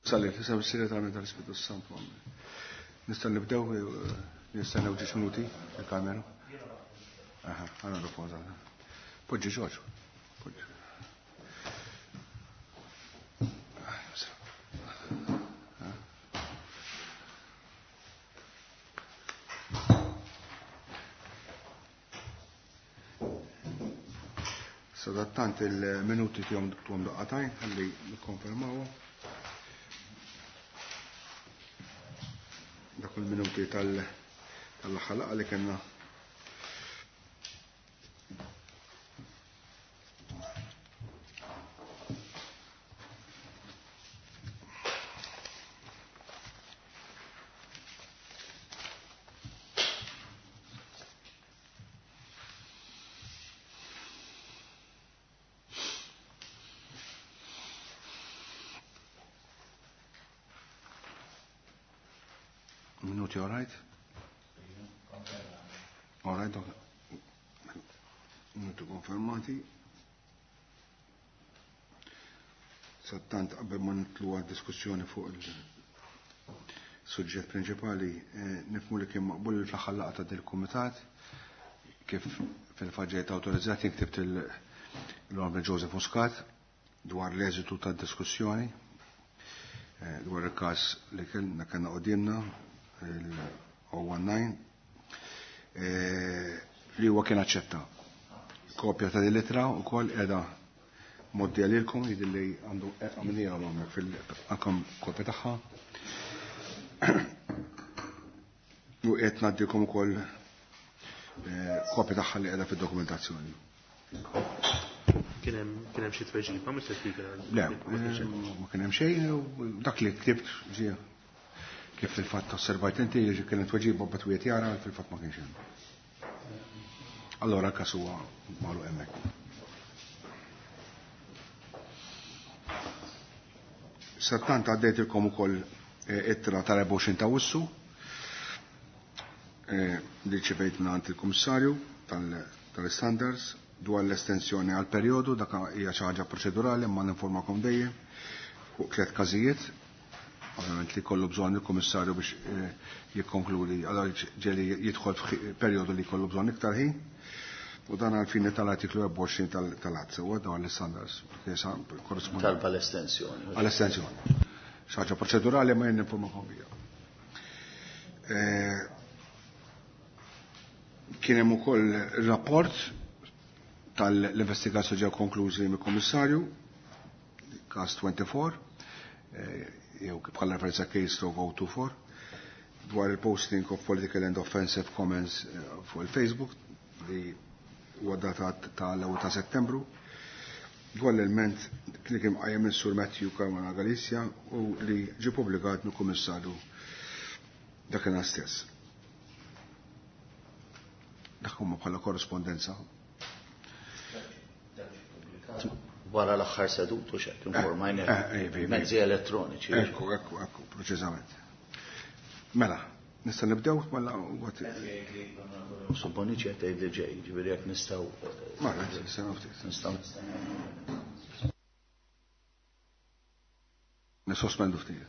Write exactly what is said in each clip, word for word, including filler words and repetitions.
Salli, f'isem is-Segretarju tal-Ispirtu Santu. Nista' nibdew, nistennew ġiex minuti il-kamera. Aha, għana riposa. Poġġi Ġorġ. Poġġi. Sadattant il-minuti tihom tuhom daqqatajn ħalli nikkonfermawhom. Dak il-minuti tal-aħħar laqgħa li kellna. Minuti, all right? All right, minuti konfermati. Sattant qabel ma nitlu għal diskussjoni fuq il-suġġett prinċipali, nifhmu li kien maqbul fl-aħħar laqgħa ta' dil-kumitat kif fil-faġġejt awtorizzati ktibt l-Onorevoli Joseph Muscat dwar l-eżitu tad-diskussjoni dwar il-każ li kellna kellna qudiemna il-oh one nine li huwa kien aċċetta. Kopja ta' din l-ittra wkoll qiegħda moddija lilkom, jidher li għandu għamilniha hawnhekk fil-anke kopja tagħha. U qed ngħaddikom ukoll kopja tagħha li qiegħda fid-dokumentazzjoni. Kien hemm kien hemm xi tweġiba, Mister Speaker? Le, ma kien hemm xejn, dak li ktibt ġie kif fil-fatt osservajt inti, ġi kienet tweġiba bat wieħed jara, fil-fatt ma kienx hemm. Allora l-każ huwa magħluq hemmhekk. Sattant għaddejtilkom ukoll ittra tal-erbgħa u għoxrin ta' Awwissu li ċivejt minn għand il-Kummissarju tal-Standards dwar l-estensjoni għal perjodu, dak hija xi ħaġa proċedurali imma ninformakom dejjem fuq tliet każijiet. Ovvjament li kollu bżonn il-Kummissarju biex jikkonkludi, allora ġeli jidħol f'perjodu li kollu bżonn iktar ħin. U dan għal fini tal-artiklu erbgħa u għoxrin tal-att, sewwa dwar l-standards. Talba l-estensjoni. Għall-estensjoni. Xi ħaġa proċedurali ma jien ninformakom biha. Kien hemm ukoll rapport tal-investigazzjoni ġew konklużi mill-Kummissarju, każ twenty-four, jew bħala referenza case stroke oh two four, dwar il-posting of political and offensive comments fuq il-Facebook li huwa datat tal-ewwel ta' Settembru, dwar l-ilment li kien qajjem is-Sur Matthew Caruana Galizia u li ġie ppubblikat mill-Kummissarju dakinhar stess. Dak huma bħala korrespondenza. Wara l-aħħar sedutu x'hekk informajna Eh, eh, eh, mezzi elettroniċi. Ekku, ekku, ekku, preċiżament. Mela, nista' nibdew mela what Supponi ċe tgħid li ġej, ġifieri jekk nistgħu. Mela, nistgħu ftit. Nistgħu. Nisospendu ftit.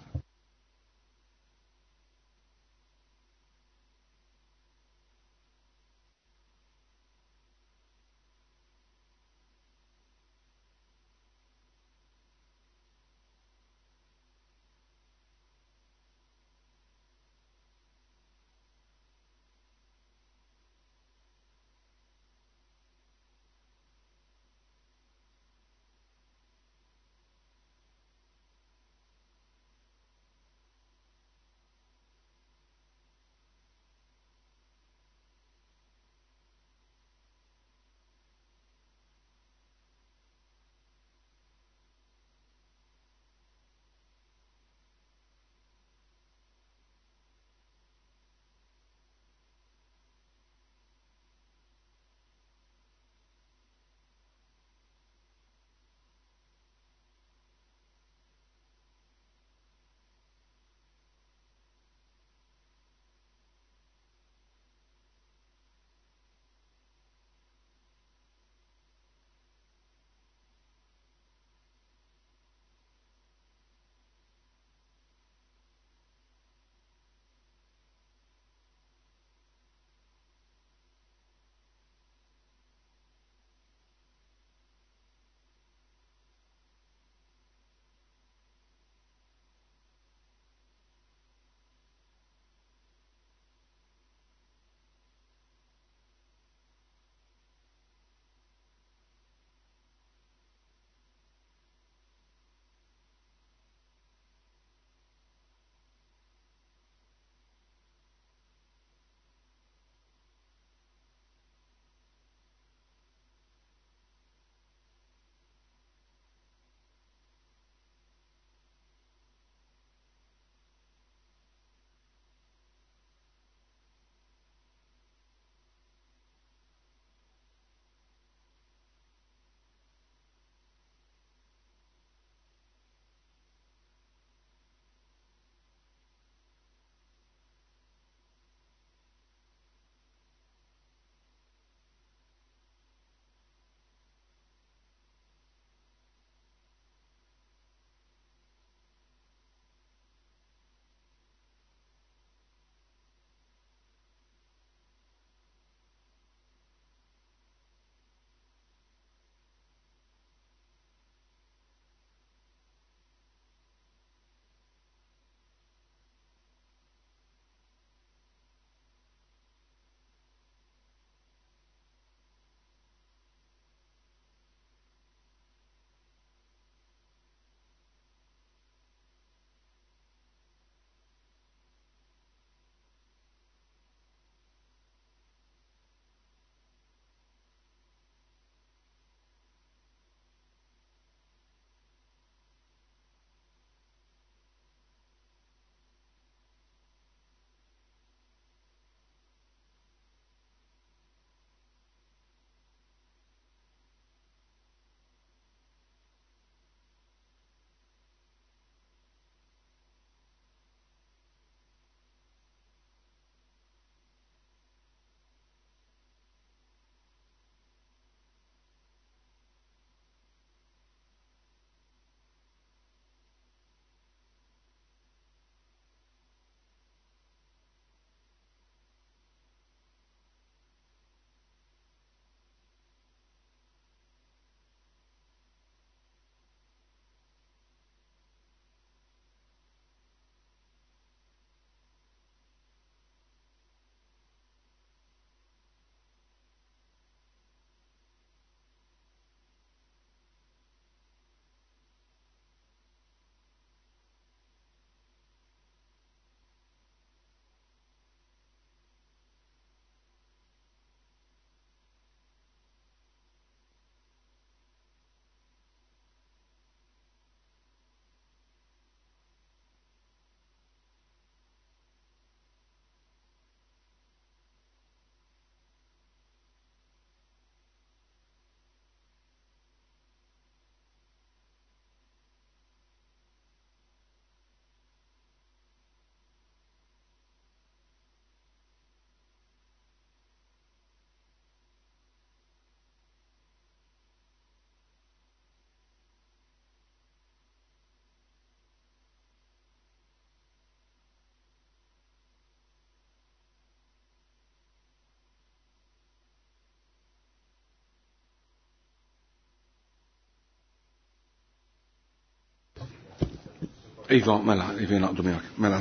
Iva, mela, iva naqdu miegħek. Mela,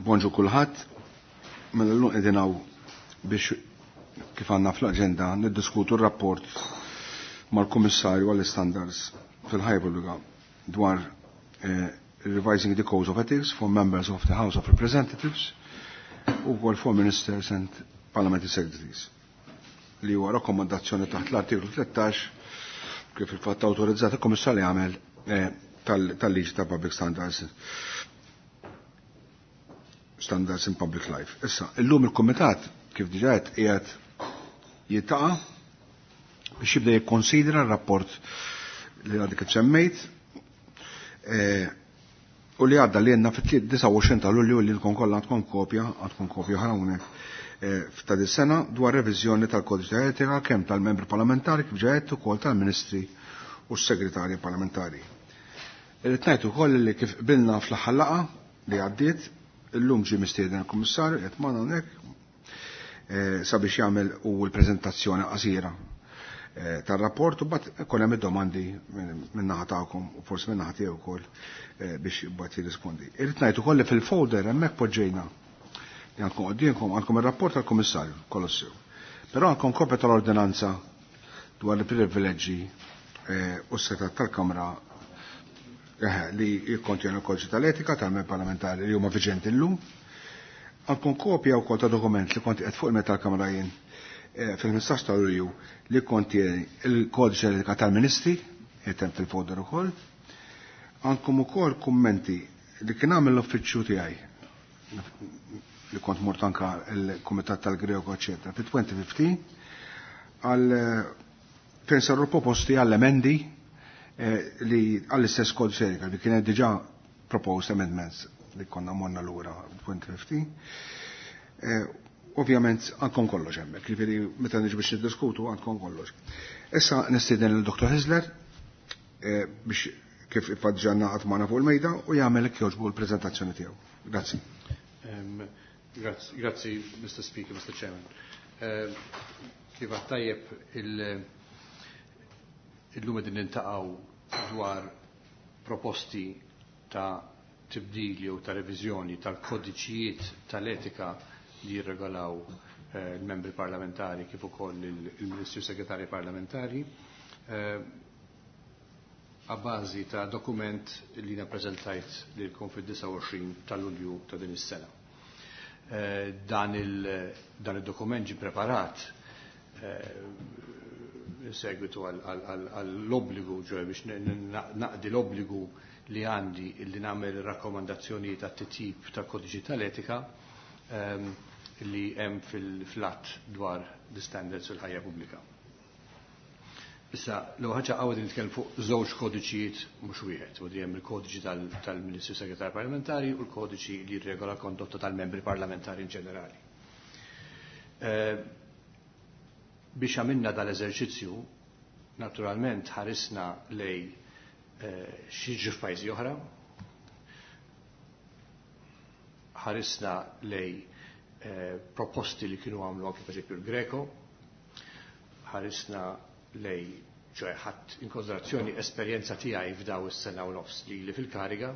bonġu kulħadd. Mela llum qegħdin hawn biex kif għandna fl-aġenda niddiskutu r-rapport mal-Kummissarju għall-Standards fil-ħajja pubblika dwar eh, revising the Codes of Ethics for members of the House of Representatives u wkoll for Ministers and Parliamentary Secretaries li huwa rakkomandazzjoni taħt l-artiklu tlettax kif il-fatt awtorizzat il-Kummissarju jagħmel eh, tal-liġi ta' Public Standards Standards in Public Life. Issa, illum il-Kumitat kif diġà qed qiegħed jiltaqa' biex jibda jikkonsidra r-rapport li għadek kif semmejt eh, u li għadda li għandna fit-disgħa u għoxrin ta' Lulju li lkom kollha għandkom kopja, għandkom kopja oħra hawnhekk eh, f'ta' dis sena dwar reviżjoni tal-Kodiċi ta' Etika kemm tal-membri parlamentari kif ġa għedt ukoll tal-Ministri u s-Segretarji Parlamentari. Irrid ngħid ukoll li kif qbilna fl-aħħar laqgħa li għaddiet, illum ġie mistieden il-Kummissarju qed magħna hawnhekk eh, sabiex jagħmel u l-preżentazzjoni qasira eh, tar-rapport u mbagħad ikun hemm id-domandi min-naħa tagħkom u forsi min-naħa tiegħu wkoll eh, biex mbagħad jirrispondi. Irrid ngħid ukoll li fil-folder hemmhekk poġġejna li għandkom quddiemkom għandkom ir-rapport tal-Kummissarju kollox sew. Però għandkom kopja tal-ordinanza dwar il-privileġġi u s-setat tal-Kamra li jikkontjenu l-Kodiċi tal-Etika tal-membri parlamentari li huma viġenti llum. Għandkom kopja wkoll ta' dokument li kont qed fuq il-meta tal-Kamra jien fil-ħmistax ta' Lulju li kontieni il-Kodiċi tal-Etika tal-Ministri, qed hemm fil-folder ukoll. Għandkom ukoll kummenti li kien għamel l-uffiċċju tiegħi li kont mort anka il-Kumitat tal-Greko, eċetera, fit-twenty fifteen għal fejn saru proposti għall-emendi li għall-istess kodiċi etika li kienet diġà proposed amendments li konna morna lura twenty fifteen. Ovvjament għandkom kollox hemmhekk, jiġifieri meta niġu biex niddiskutu għandkom kollox. Issa nistieden lil Dottor Hyzler biex kif ifaġġanna qatt magħna fuq il-mejda u jagħmel hekk jogħġbu l-preżentazzjoni tiegħu. Grazzi. Grazzi, Mister Speaker, Mister Chairman. Kif tajjeb il-lum qegħdin niltaqgħu dwar proposti ta' tibdil jew ta' reviżjoni tal-kodiċijiet tal-etika li jirregolaw il-membri parlamentari kif ukoll il-Ministri Segretari Parlamentari a bażi ta' dokument li nappreżentajt lilkom fid-disgħa u għoxrin ta' Lulju ta' din is-sena. Dan il-dokument ġie preparat in segwitu għall-obbligu, ġoj biex naqdi l-obbligu li għandi li nagħmel rakkomandazzjoni ta' titjib ta' kodiċi tal-etika li hemm fil-flat dwar the standards fil-ħajja pubblika. Issa, l ħaġa għawed nitkellem fuq żewġ kodiċijiet mhux wieħed, u hemm il-kodiċi tal-Ministru Segretar Parlamentari u l-kodiċi li jirregola kondotta tal-membri parlamentari in ġenerali. Biex għamilna dal-eżerċizzju, naturalment ħarisna lej xi f'pajjiżi oħra, ħarisna lej proposti li kienu għamlu anke pereżempju l-Greco, ħarisna lej ċoħe ħadd in konsiderazzjoni esperjenza tiegħi f'daw is-sena u nofs li li fil-kariga,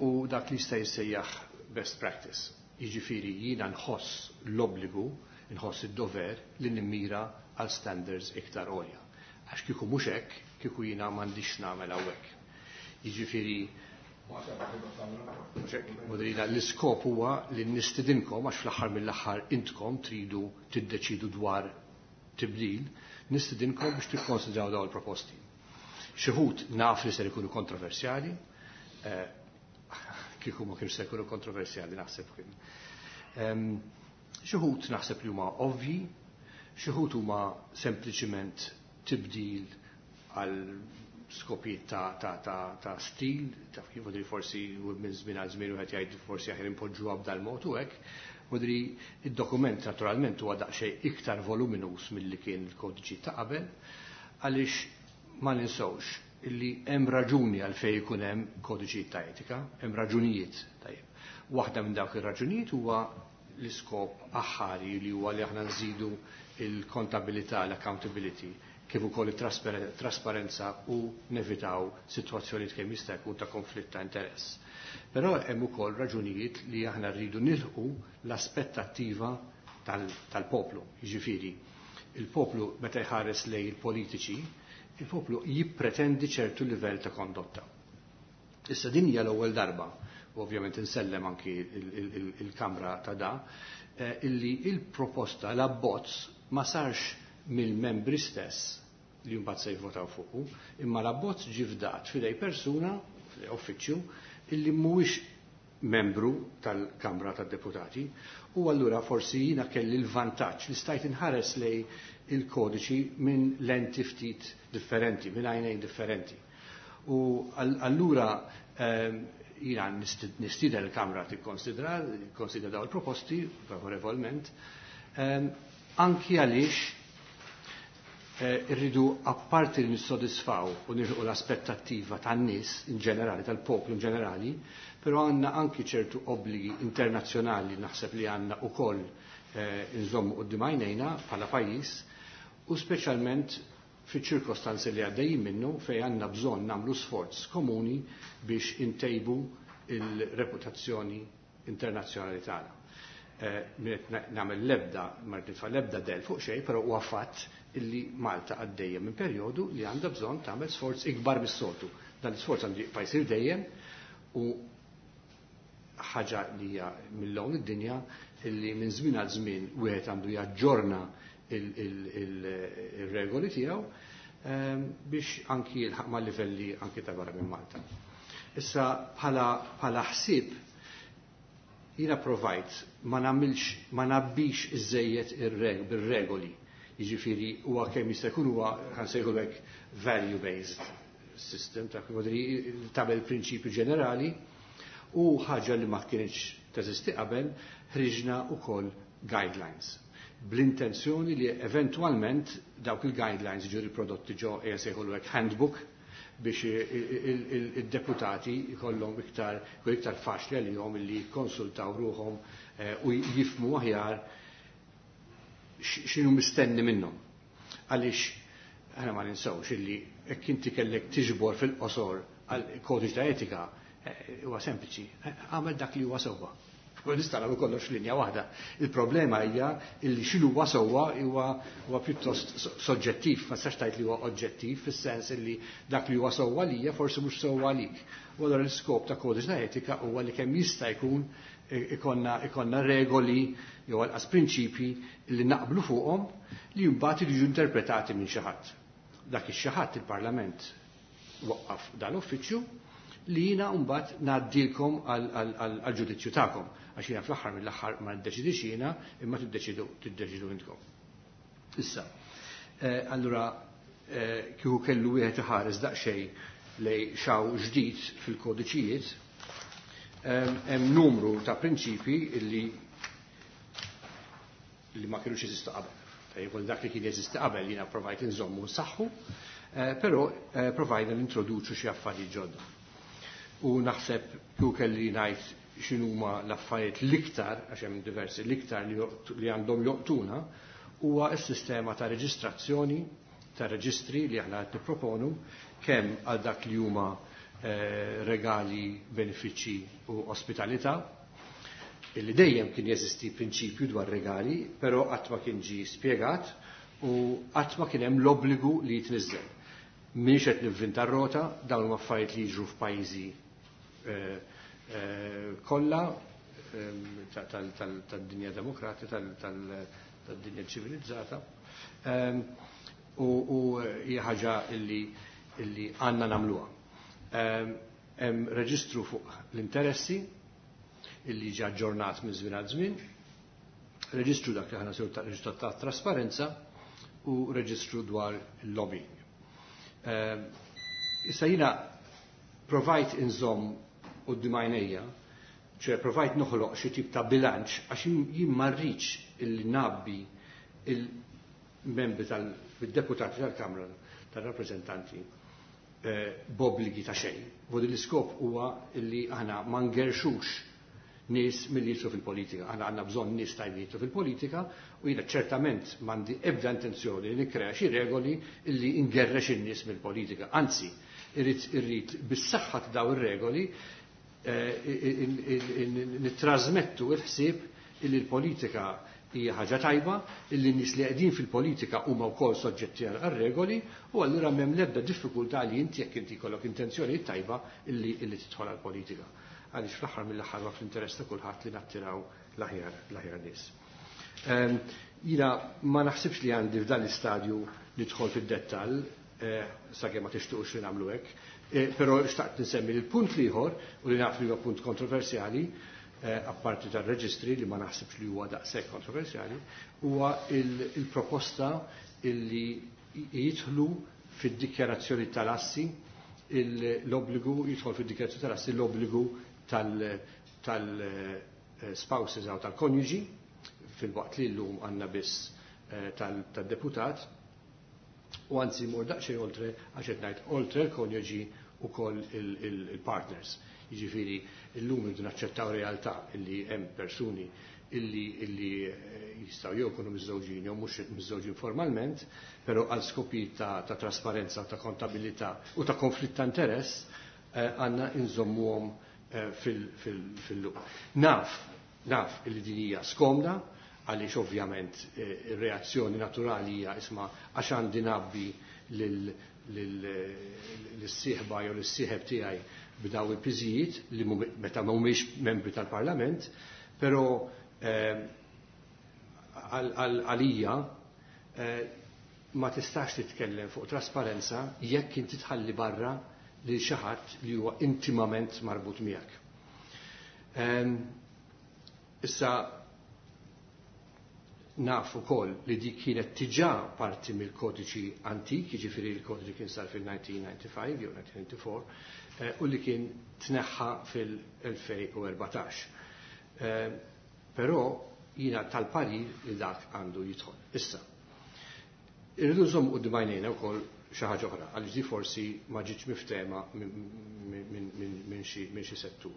u dak li jista' jissejjaħ best practice. Jiġifieri jiena nħoss l-obbligu, nħoss id-dover li nimmira għal standards iktar għolja. Għax kieku mhux hekk, kieku jiena m'għandix nagħmel hawnhekk. Jiġifieri l-iskop huwa li nistidinkom għax fl-aħħar mill-aħħar intkom tridu tiddeċidu dwar tibdil, nistidinkom biex tikkonsidraw dawn il-proposti. Xi wħud naf li ser ikunu kontroversjali, kieku ma kienx se jkunu kontroversjali naħseb kien. Xi wħud naħseb li huma ovvji, xi wħud huma sempliċiment tibdil għal skopijiet ta', ta, ta, ta' stil, ta' kif forsi minn żmien għal żmien wieħed jgħid forsi aħjar impoġġuha b'dal mod u hekk. Vodri id-dokument naturalment huwa daqsxejn iktar voluminus milli kien il-kodiċi ta' qabel, għaliex ma ninsewx illi hemm raġuni għalfejn ikun hemm kodiċi ta' etika, hemm raġunijiet tajjeb. Waħda minn dawk ir-raġunijiet huwa l-iskop aħħari li huwa li aħna nżidu il-kontabilità, l-accountability, kif ukoll it-trasparenza u nevitaw sitwazzjonijiet kemm jista' jkun ta' konflitt ta' interess. Però hemm ukoll raġunijiet li aħna rridu nilħu l-aspettattiva tal-poplu. Jiġifieri, il-poplu meta jħares lejn il-politiċi, il-poplu jippretendi ċertu livell ta' kondotta. Issa din hija l-ewwel darba, u ovvjament insellem anki il-Kamra ta' da, eh, illi il-proposta, l-abbozz ma sarx mill-membri stess li mbagħad se jivvotaw fuqu, imma l-abbozz ġie fdat f'idej persuna, f'idej uffiċċju, illi mhuwiex membru tal-Kamra tad-Deputati u allura forsi jiena kelli l-vantaġġ li stajt inħares lej il-kodiċi minn lenti ftit differenti, minn għajnejn differenti. U allura ehm, jiena nistieden il-Kamra tikkonsidra, tikkonsidra daw il-proposti favorevolment, ehm, anki għaliex eh, irridu apparti li nissodisfaw u nirħu l-aspettattiva tan-nies in ġenerali, tal-poplu in ġenerali, però għandna anki ċertu obbligi internazzjonali naħseb li għandna ukoll eh, nżommu quddiem għajnejna bħala pajjiż u speċjalment fiċ-ċirkostanzi li għaddejjin minnu fejn għandna bżonn nagħmlu sforz komuni biex intejbu il-reputazzjoni internazzjonali tagħna. Eh, nagħmel l-ebda, ma nitfa' l-ebda del fuq xejn, però huwa fatt illi Malta għaddejja minn perjodu li għandha bżonn tagħmel sforz ikbar mis-soltu. Dan l-isforz għandu jibqa' jsir dejjem u ħaġa li hija mill-hawn id-dinja illi minn żmien għal żmien wieħed għandu jaġġorna il-regoli tiegħu ehm, biex anki jilħaq ma' livelli anki ta' barra minn Malta. Issa bħala ħsieb jiena provajt ma nagħmilx ma nabbix iżejjed bir-regoli. Jiġifieri huwa kemm jista' jkun huwa ħansejħu hekk value based system ta' tagħmel prinċipju ġenerali u ħaġa li ma kienx teżisti qabel ħriġna wkoll guidelines bl-intenzjoni li eventwalment dawk il-guidelines ġu riprodotti ġo jsejħulu hekk handbook biex il-deputati jkollhom iktar iktar faċli għalihom li jikkonsultaw ruhom eh, u jifmu aħjar x'inhu mistenni minnhom. Għaliex aħna ma ninsewx illi jekk inti kellek tiġbor fil-qosor għal kodiċ ta' etika eh, huwa sempliċi, eh, għamel dak li huwa sewwa. Nista' nagħmlu kollox f'linja waħda. Il-problema hija illi x'inhu huwa sewwa huwa huwa pjuttost soġġettiv, ma tistax tgħid li huwa oġġettiv fis-sens illi dak li huwa sewwa lija forsi mhux sewwa għalik. U allura l-iskop ta' kodiċ ta' etika huwa li kemm jista' jkun ikonna ikonna regoli jew anqas prinċipji li naqblu fuqhom li mbagħad jiġu interpretati minn xi ħadd. Dak ix-xi ħadd il-Parlament waqqaf dan l-uffiċċju li jiena mbagħad ngħaddilkom għall-ġudizzju tagħkom għax jiena fl-aħħar mill-aħħar ma niddeċidix jiena imma tiddeċidu tiddeċidu intkom. Issa, eh, allura eh, kieku kellu wieħed iħares daqsxejn lej xaw ġdid fil-kodiċijiet, hemm numru ta' prinċipi illi li ma kienux jeżistu qabel. Tajjeb, dak li kien jeżisti qabel jiena provajt inżommu nsaħħu, eh, però provajna nintroduċu xi affarijiet ġodda. U naħseb kieku kelli ngħid x'inhuma l-affarijiet l-iktar, għax hemm diversi l-iktar li għandhom joqtuna, huwa s-sistema ta' reġistrazzjoni ta' reġistri li aħna qed nipproponu kemm għal dak li huma eh, regali, benefiċċji u ospitalità, illi dejjem kien jeżisti prinċipju dwar regali, però qatt ma kien ġie spjegat u qatt ma kien hemm l-obbligu li jitniżżel. M'iniex qed nivvinta r-rota, dawn huma affarijiet li jiġru f'pajjiżi eh, eh, kollha tad-dinja demokratika, tad-dinja ċivilizzata. U hija ħaġa illi illi għandna nagħmluha. Hemm reġistru fuq l-interessi illi ġi aġġornat minn żmien għal żmien, reġistru dak li aħna sew ta' reġistru ta' trasparenza u reġistru dwar il-lobbying. Issa jiena provajt inżomm quddiem għajnejja, ċe provajt noħloq xi tip ta' bilanċ għax jien ma rridx illi nabbi il-membri tal-deputati tal-Kamra tal-Rappreżentanti b'obbligi ta' xejn. Vodi l-iskop huwa illi aħna ma ngerxux nies milli jidħlu fil-politika. Aħna għandna bżonn nies tajbin jidħlu fil-politika u jiena ċertament m'għandi ebda intenzjoni li nikkrea xi regoli illi ngerrex in-nies mill-politika. Anzi, irrid irrid bis-saħħa ta' daw ir-regoli nittrażmettu l-ħsieb illi l-politika hija ħaġa tajba, illi n-nies li qegħdin fil-politika huma wkoll soġġetti għal regoli u allura m'hemm l-ebda diffikultà li inti jekk inti jkollok intenzjoni tajba illi illi tidħol għall-politika. Għaliex fl-aħħar mill-aħħar ma fl-interess ta' kulħadd li nattiraw l-aħjar l-aħjar nies. Jiena ma naħsibx li għandi f'dan l-istadju nidħol fid-dettall, sakemm ma tixtuqx li nagħmlu hekk, però xtaqt nsemmi l-punt l-ieħor u li naf li huwa punt kontroversjali, apparti tal-reġistri li ma naħsibx li huwa daqshekk kontroversjali, huwa il-proposta illi jidħlu fid-dikjarazzjoni tal-assi l-obbligu jidħol fid-dikjarazzjoni tal-assi l-obbligu tal-spouses jew tal-konjuġi fil-waqt li llum għandna biss tal-deputat u anzi mur daqsxejn oltre għax qed ngħid oltre l-konjuġi ukoll il-partners. Jiġifieri llum irridu naċċettaw realtà illi hemm persuni illi illi jistgħu jew jkunu miżżewġin jew mhux miżżewġin formalment, però għal skopi ta', ta trasparenza, ta' kontabilità u ta' konflitt ta' interess għandna inżommuhom fil-luq. Naf, naf illi din hija skomda, għaliex ovvjament ir-reazzjoni naturali hija isma' għax għandi nabbi lis-sieħba jew lis-sieħeb tiegħi b'daw il-piżijiet li meta mhumiex membri tal-Parlament, però għalija ma tistax titkellem fuq trasparenza jekk inti tħalli barra lil xi ħadd li huwa intimament marbut miegħek. Issa naf ukoll li dik kienet diġà parti mill-kodiċi antik, jiġifieri l-kodiċi kien sar fil-nineteen ninety-five jew nineteen ninety-four, u li kien tneħħa fil-elfejn u erbatax. Però jiena tal-parir li dak għandu jidħol. Issa, irridu nżommu quddiem għajnejna wkoll xi ħaġa oħra, għaliex di forsi ma ġietx miftehma minn xi settur.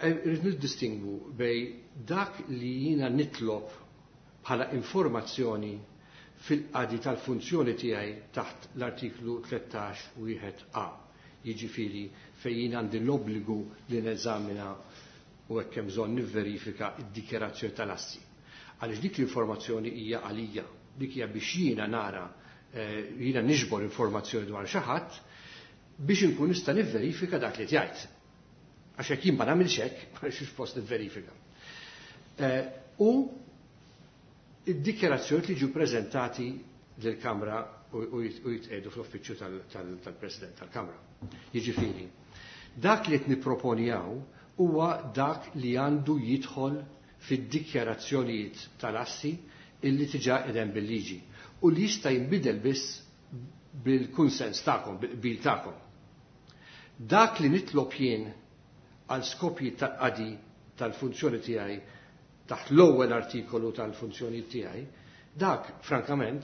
Irridu niddistingwu bej dak li jiena nitlob bħala informazzjoni fil-qadi tal-funzjoni tiegħi taħt l-artiklu tlettax wieħed A. Jiġifieri fejn jien għandi l-obbligu li neżamina u hekk hemm bżonn nivverifika d-dikjarazzjoni tal-assi. Għaliex dik l-informazzjoni hija għalija, dik hija biex jiena nara, jiena niġbor informazzjoni dwar xi ħadd biex inkun nista' nivverifika dak li jgħid. Għax jekk jien ma nagħmilx hekk, ma nixx post nivverifika. U id-dikjarazzjoni li ġew preżentati lill-Kamra u jitqiegħdu fl-uffiċċju tal-President tal-Kamra. Jiġifieri, dak li qed nipproponjaw huwa dak li għandu jidħol fid-dikjarazzjonijiet tal-assi illi diġà qegħdem bil-liġi u li jista' jinbidel biss bil-kunsens tagħkom, bil-qbil tagħkom. Dak li nitlob jien għal skopji tal-qadi tal-funzjoni tiegħi taħt l-ewwel artikolu tal-funzjoni tiegħi, dak frankament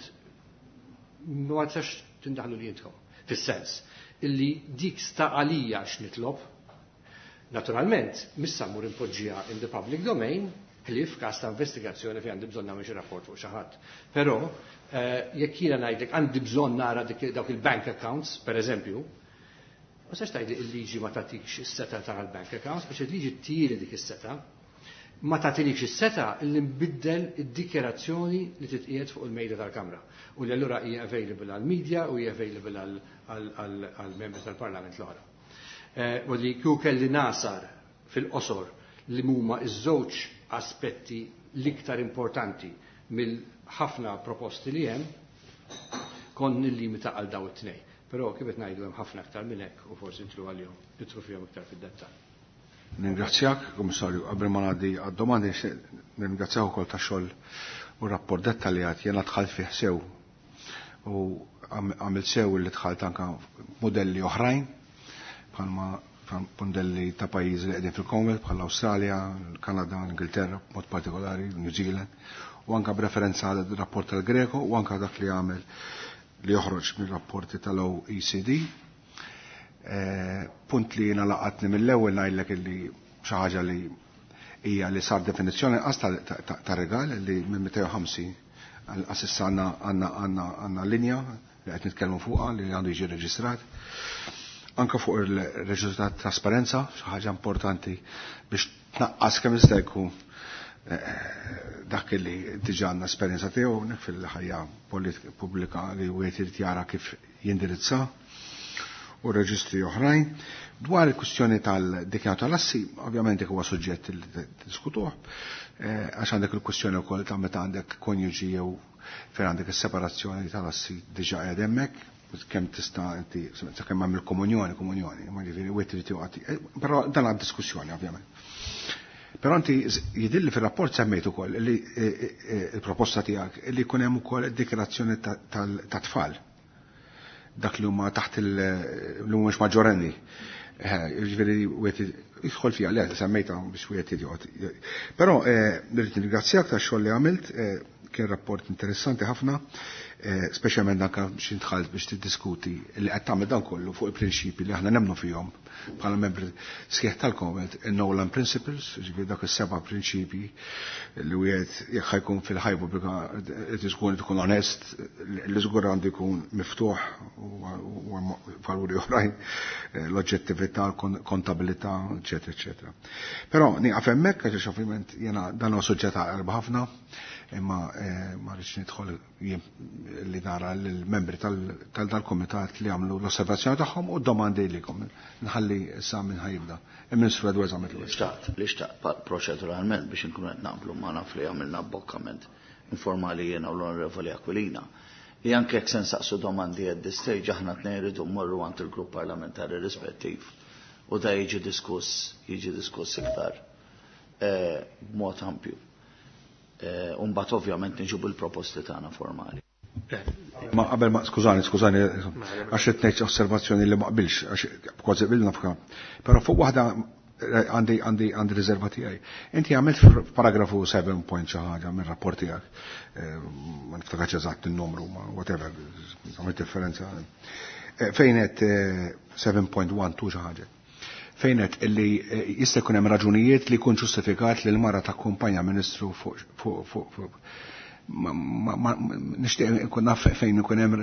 ma tistax tindaħlu li jintkom. Fis-sens illi dik sta għalija x'nitlob. Naturalment, missa mmur impoġġiha in the public domain, ħlief f'każ ta' investigazzjoni fejn għandi bżonn nagħmel xi rapport fuq xi ħadd. Però jekk jiena ngħidlek għandi bżonn nara dawk il-bank accounts, per eżempju, ma sax tgħidli l-liġi ma tagħtikx is-seta tal-bank accounts, għax il-liġi tiri dik is-seta, ma tagħtilikx is-seta li nbiddel id-dikjerazzjoni li titqiegħed fuq il-mejda tal-Kamra u li allura hija available għall-media u hija available għall-membri tal-Parlament l-oħra. U li kieku kelli nasar fil-qosor li huma iż-żewġ aspetti l-iktar importanti mill-ħafna proposti li hemm, kont nillimita għal daw it-tnejn. Però kif qed ngħidu hemm ħafna aktar minn hekk u forsi nitlu għalihom, nitlu fihom iktar fid-dettall. Ningrazzjak, Kummissarju, qabel ma ngħaddi għad-domandi nirringrazzjak ukoll tax-xogħol u rapport dettaljat jiena dħalt fih sew u għamilt sew li dħalt anke modelli oħrajn bħalma modelli ta' pajjiżi li qegħdin fil-Commonwealth bħal Awstralja, l-Kanada, l-Ingilterra, b'mod partikolari, New Zealand, u anke b'referenza għal rapport tal-Greco u anke dak li għamel li joħroġ mir-rapporti tal-O E C D. Punt li jiena laqatni mill-ewwel ngħidlek illi xi ħaġa li hija li sar definizzjoni qas ta' regal li minn mitejn u ħamsin għal issa għandna għandna linja li qed nitkellmu fuqha li għandu jiġi reġistrat. Anka fuq il-reġistru ta' trasparenza, xi ħaġa importanti biex tnaqqas kemm jista' jkun dak li diġà għandna esperjenza tiegħu fil-ħajja pubblika li wieħed irid jara kif jindirizza u reġistri oħrajn. Dwar il-kwistjoni tal-dikjarazzjoni tal-assi, ovvjament dik huwa suġġett li diskutuh, għax għandek il-kwistjoni wkoll ta' meta għandek konjuġi jew fejn għandek is-separazzjoni tal-assi diġà qiegħed hemmhekk, kemm tista' inti sakemm hemm il-komunjoni, komunjoni, ma ġifieri wieħed irid joqgħod. Però dan għad diskussjoni ovvjament. Però inti jidilli fir-rapport semmejt ukoll li il-proposta tiegħek li jkun hemm ukoll id-dikjarazzjoni ta' tfal. Dak li huma taħt il li mhumiex maġġorenni. Jiġifieri wieħed jidħol fiha le semmejtha biex wieħed joqgħod. Però rrid nirringrazzjak tax-xogħol li għamilt, kien rapport interessanti ħafna, speċjalment anke biex intħalt biex tiddiskuti li qed tagħmel dan kollu fuq il-prinċipi li aħna nemmnu fihom bħala membri sħiħ tal-Commonwealth, il-Nolan Principles, ġifieri dak is-seba' prinċipi li wieħed jekk ħajkun fil-ħajja pubblika qed ikun tkun onest, li żgur għandu jkun miftuħ u valuri oħrajn, l-oġġettività, l-kontabilità, eċetera, eċetera. Però nieqaf hemmhekk għax ovvjament jiena dan huwa suġġett għaqreb ħafna, imma ma rridx nidħol li nara l-membri tal-komitat li għamlu l-osservazzjoni tagħhom u d-domandi likom. Nħalli issa minn ħajibda. Il-Ministru Edwards għamlet l-ewwel. Xtaqt, li xtaqt proċeduralment biex inkunu qed naqblu ma naf li għamilna abbokkament informali jiena u l-Onorevoli Aquilina. Li anke jekk se nsaqsu domandi at this stage aħna tnejn rridu mmorru għand il-grupp parlamentari rispettiv u da jiġi diskuss, jiġi diskuss iktar b'mod ampju. U mbagħad ovvjament niġu bil-proposti tagħna formali. Ma qabel ma skużani, skużani, għax qed ngħid osservazzjoni li ma qbilx, għax kważi qbilna f'ka. Però fuq waħda għandi għandi għandi riserva tiegħi. Inti għamilt f'paragrafu seven point xi ħaġa mir-rapport tiegħek. Ma niftakarx eżatt in-numru, ma whatever, għamilt differenza. Fejn qed seven point one two xi ħaġa. Fejn qed illi jista' jkun hemm raġunijiet li jkun ġustifikat li l-mara takkumpanja ministru fuq fuq fuq nixtieq nkun naf fejn ikun hemm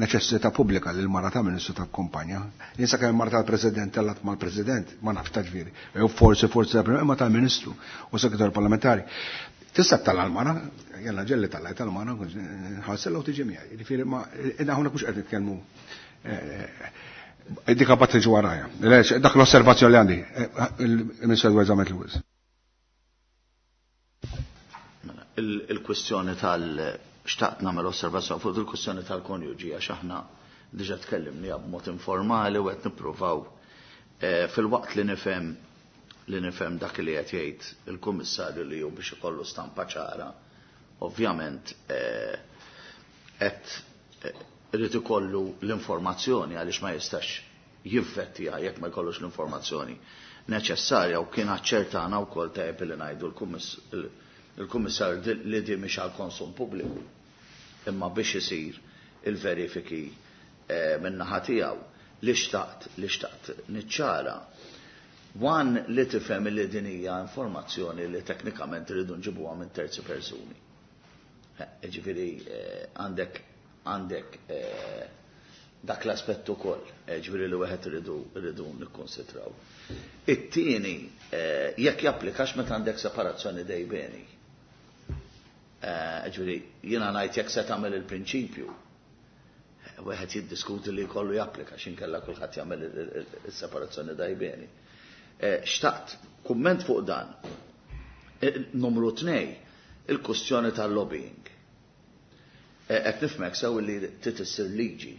neċessità pubblika li l-mara ta' ministru takkumpanja. Jien sakemm mara tal-President tellat mal-President, ma nafx ta' ġifieri. Jew forsi forsi imma tal-Ministru u Segretarju Parlamentari. Tista' talla l-mara, jalla ġelli talla tal-mara, ħassella u tiġi miegħi. Jiġifieri ma hawnhekk mhux qed nitkellmu dik bat tiġi warajja. Dak l-osservazzjoni li għandi, il-Ministru Edwards għamlet Lewis. Il-kwestjoni tal-xtaqt nagħmel osservazzjoni fuq il-kwestjoni tal-konjuġi għax aħna diġà tkellimni b'mod informali u qed nippruvaw fil-waqt li nifhem li nifhem dak li qed jgħid il-Kummissarju li hu biex ikollu stampa ċara, ovvjament qed irid ikollu l-informazzjoni għaliex ma jistax jivvettija jekk ma jkollux l-informazzjoni neċessarja u kien aċċertana wkoll tajjeb li ngħidu l-Kummissarju li di mhix għal konsum pubbliku imma biex isir il-verifiki min-naħa tiegħu li xtaqt li xtaqt niċċara. Wan li tifhem li din hija informazzjoni li teknikament irridu nġibuha minn terzi persuni. Ġifieri għandek għandek dak l-aspett ukoll, ġifieri li wieħed irridu irridu nikkonsidraw. It-tieni jekk japplikax meta għandek separazzjoni dejbeni. Ġifieri jiena ngħid jekk se tagħmel il-prinċipju, wieħed jiddiskuti li jkollu japplika x'inkella kulħadd jagħmel is-separazzjoni dejbeni. Xtaqt kumment fuq dan. Numru tnej, il-kwestjoni tal-lobbying. Qed nifhmek sew li trid issir liġi,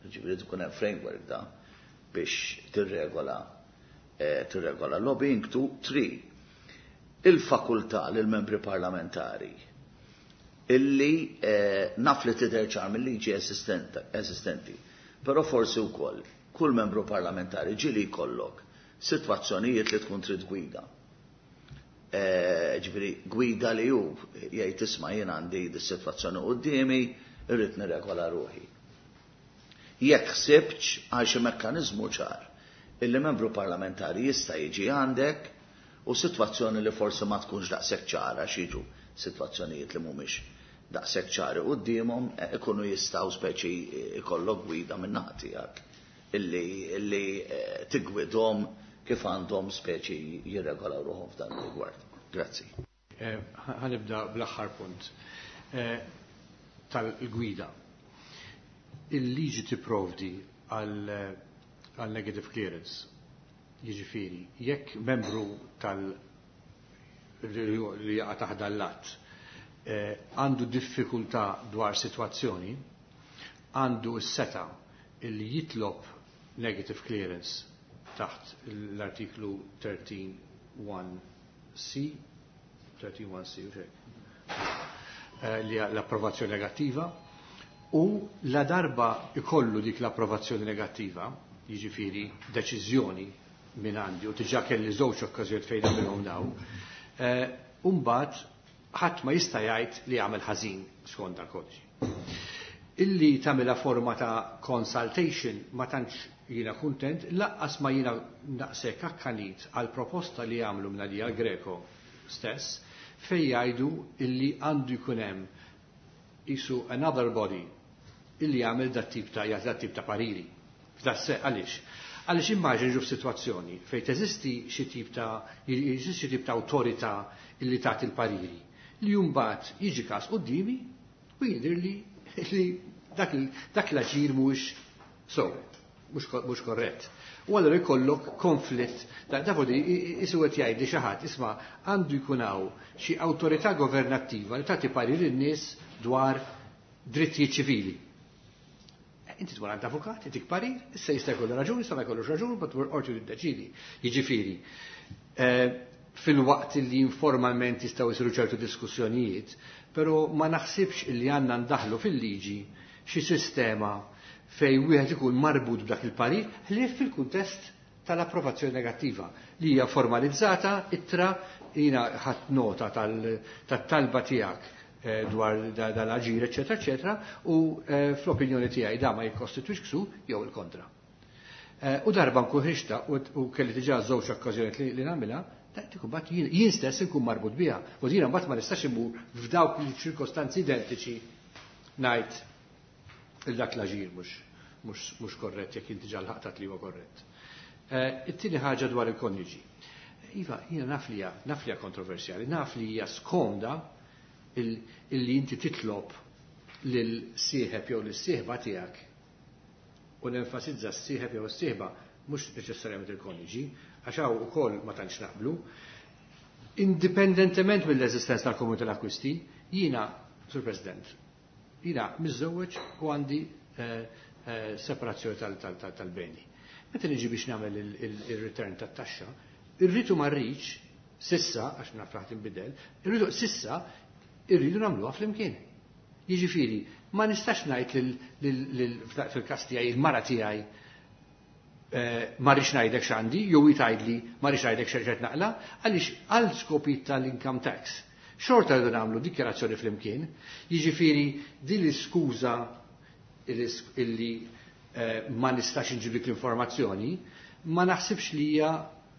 ġifieri tkun hemm framework da biex tirregola tirregola lobbying. Two, three, il-fakultà lil membri parlamentari illi naf li tidher ċar mill-liġi esistenti, però forsi wkoll kull membru parlamentari ġieli jkollok sitwazzjonijiet li tkun trid gwida. Ġifieri gwida li hu jgħid isma' jien għandi dis-sitwazzjoni quddiemi, irrid nirregola ruħi. Jekk ħsibx għal xi mekkaniżmu ċar illi membru parlamentari jista' jiġi għandek U sitwazzjoni li forsi ma tkunx daqshekk ċara x'jiġu sitwazzjonijiet li mhumiex daqshekk ċari quddiemhom ikunu jistgħu speċi ikollok gwida minn naħa tiegħek illi, illi tigwidhom kif għandhom speċi jirregolaw ruħhom f'dan ir-rigward. Grazzi. Ħa nibda bl-aħħar punt tal-gwida. Il-liġi tipprovdi għal negative clearance. Jiġifieri, jekk membru tal li jaqa' taħt l-att għandu diffikultà dwar sitwazzjoni, għandu s-seta illi jitlob negative clearance taħt l-artiklu tlettax one C, tlettax one C, u li l-approvazzjoni negattiva, u la darba ikollu dik l-approvazzjoni negattiva, jiġifieri deċiżjoni minn għandi, u diġà kelli żewġ okkażjonijiet fejn nagħmilhom daw, imbagħad ħadd ma jista' jgħid li jagħmel ħażin skont dal-kodiċi. Illi tagħmilha forma ta' consultation ma tantx jiena kuntent, lanqas ma jiena naqsek akkanit għal proposta li jagħmlu minn Greco stess, fej jgħidu illi għandu jkun hemm isu another body illi jagħmel dat tip ta' dat tip ta' pariri. F'das għaliex? Għaliex immaġin ġu f'sitwazzjoni fejn teżisti xi tip ta' jeżisti xi tip ta' awtorità illi tagħti il-pariri li mbagħad jiġi każ quddiemi u jidher li li dak, dak l-aġir mhux so, mhux korrett. U allura jkollok konflitt, da di isu qed jgħid li xi ħadd isma' għandu jkun hawn xi awtorità governattiva li tagħti parir lin-nies dwar drittijiet ċivili. Inti tmur għand avukat, itik parir, issa jista' jkollu raġuni, jista' ma jkollux raġuni, but qorti tiddeċidi. Jiġifieri, fil-waqt li informalment jistgħu jsiru ċertu diskussjonijiet, però ma naħsibx li għandna ndaħlu fil-liġi xi sistema fej wieħed ikun marbut b'dak il-parir ħlief fil-kuntest tal-approvazzjoni negattiva li hija formalizzata ittra. Jiena ħadt nota tal-talba tiegħek eh, dwar dal-aġir, eċetera, eċetera, u eh, fl-opinjoni tiegħi da ma jikkostitwix ksur jew il-kontra. Eh, u darba nkun ħriġta u kelli diġà żewġ okkażjonijiet li nagħmilha, dik mbagħad jien stess inkun marbut biha. U jiena mbagħad ma nistax imur f'dawk il-ċirkostanzi identiċi ngħid il dak l-aġir mhux mhux korrett jekk inti ġa lħaqtat li huwa korrett. It-tieni ħaġa dwar il-konjuġi. Iva, jiena naf li naf li kontroversjali, naf li hija skomda illi inti titlob lil sieħeb jew lis-sieħba tiegħek u nenfasizza s-sieħeb jew s-sieħba, mhux neċessarjament il-konjuġi, għax hawn ukoll ma tantx naqblu, indipendentement mill-eżistenza tal-komunità tal-akkwisti, jiena, Sur President, jiena miżżewweġ u għandi eh, eh, separazzjoni tal-beni. Meta niġi biex nagħmel il-return tat-taxxa, irridu ma rridx, sissa, għax naf raħt inbidel, irridu sissa irridu nagħmluha flimkien. Jiġifieri, ma nistax ngħid fil-każ tiegħi il-mara tiegħi eh, ma rridx ngħidlek x'għandi, jew tgħidli ma rridx ngħidlek x'qed naqla, għaliex għal skopi tal-income tax. Xorta rridu nagħmlu dikjarazzjoni flimkien, jiġifieri din l-iskuża illi eh, ma nistax inġiblik l-informazzjoni, ma naħsibx li hija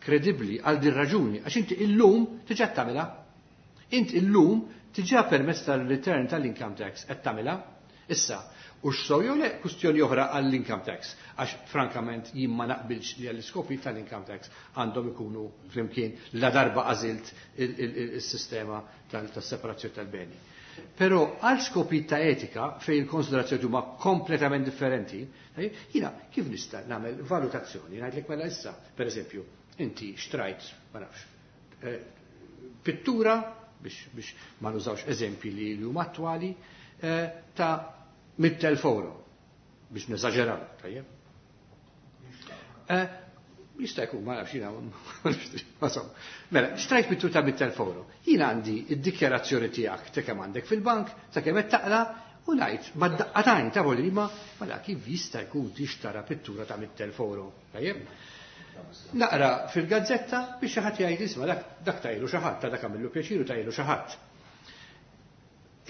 kredibbli għal din raġuni, għax inti illum diġà tagħmilha. Inti illum diġà permezz tal-return tal-income tax qed tagħmilha. Issa, u x'sew jew le, kwistjoni oħra għall-income tax, għax frankament jien ma naqbilx li għall-iskopi tal-income tax għandhom ikunu flimkien la darba għażilt il-sistema tas-separazzjoni tal-beni. Però għal skopi ta' etika fej il-konsiderazzjoni huma kompletament differenti, jiena kif nista' nagħmel valutazzjoni ngħidlek mela issa, per eżempju, inti xtrajt, ma nafx, eh, pittura biex, biex ma nużawx eżempji li huma attwali, eh, ta' mitt elf euro biex neżaġeraw, tajjeb. Eh, jista' jkun, ma nafx jiena, mela, xtrajt pittura ta' mitt elf euro. Jiena għandi id-dikjarazzjoni tiegħek ta' kemm għandek fil-bank, ta' kemm qed taqla, u ngħid ma daqqatajn ta' voli ma mela kif jista' jkun tixtara pittura ta' mitt elf euro. Tajjeb? Naqra fil-gazzetta biex xi ħadd jgħid isma' dak dak tajlu xi ħadd, ta' dak għamillu pjaċiru tajlu xi ħadd.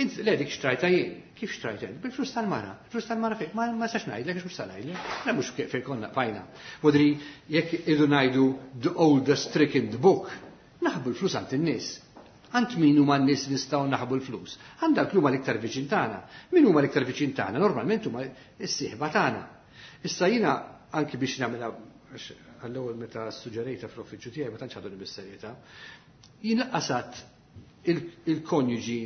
Int le dik xtrajta jien. Kif xtrajta jien? Bil-flus tal-mara. Il-flus tal-mara fejn? Ma ma sax ngħidlek, mhux sa ngħidlek. La mhux fejn konna fajna. Modri jekk idu ngħidu the oldest trick in the book. Naħbu l-flus għand in-nies. Għand min huma n-nies nistgħu naħbu l-flus? Għand dawk li huma l-iktar viċin tagħna. Min huma l-iktar viċin tagħna? Normalment huma s-sieħba tagħna. Issa jiena anki biex nagħmilha għall-ewwel meta suġġerejta fl-uffiċċju tiegħi ma tantx ħaduni bis-serjetà. Jien qasat il-konjuġi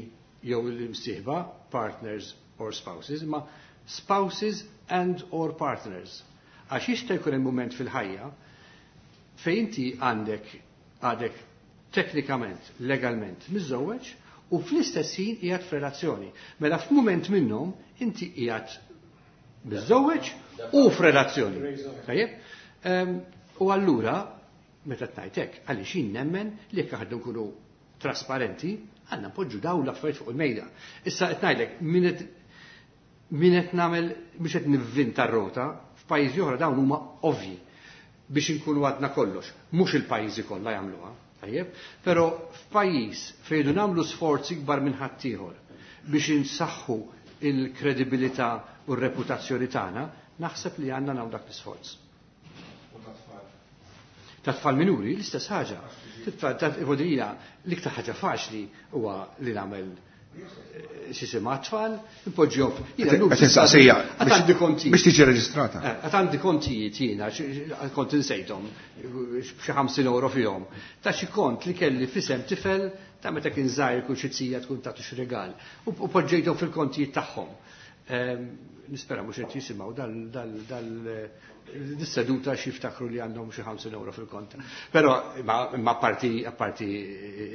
jew il-msieħba, partners or spouses, ma spouses and or partners. Għax jista' jkun hemm mument fil-ħajja fejn inti għandek għadek teknikament, legalment miżżewweġ u fl-istess ħin qiegħed f'relazzjoni. Mela f'mument minnhom inti qiegħed miżżewweġ u f'relazzjoni. Tajjeb? U allura meta tgħid hekk, għaliex jien nemmen li jekk aħna nkunu trasparenti, għandna npoġġu dawn l-affarijiet fuq il-mejda. Issa qed ngħidlek min qed min qed nagħmel biex qed nivvinta r-rota, f'pajjiżi oħra dawn huma ovvji biex inkunu għadna kollox. Mhux il-pajjiżi kollha jagħmluha, tajjeb, però f'pajjiż fejn nagħmlu sforzi ikbar minn ħaddieħor biex insaħħu il-kredibilità u r-reputazzjoni tagħna, naħseb li għandna nagħmlu dak l-isforz. Ta' tfal minuri l-istess ħaġa. Titfal l-iktar ħaġa faċli huwa li nagħmel x'jisimha tfal, impoġġihom. Għandi kontijiet. Biex tiġi reġistrata. Għad għandi kontijiet jiena, kont insejthom, xi ħamsin euro fihom. Ta' xi kont li kelli f'isem tifel ta' meta kien żgħir kull xi zija tkun tagħtu xi rigal. U poġġejthom fil-kontijiet tagħhom. Nispera mhux qed jisimgħu dal dal dis-seduta xi jiftakru li għandhom xi ħamsin euro fil-kont. Però ma apparti apparti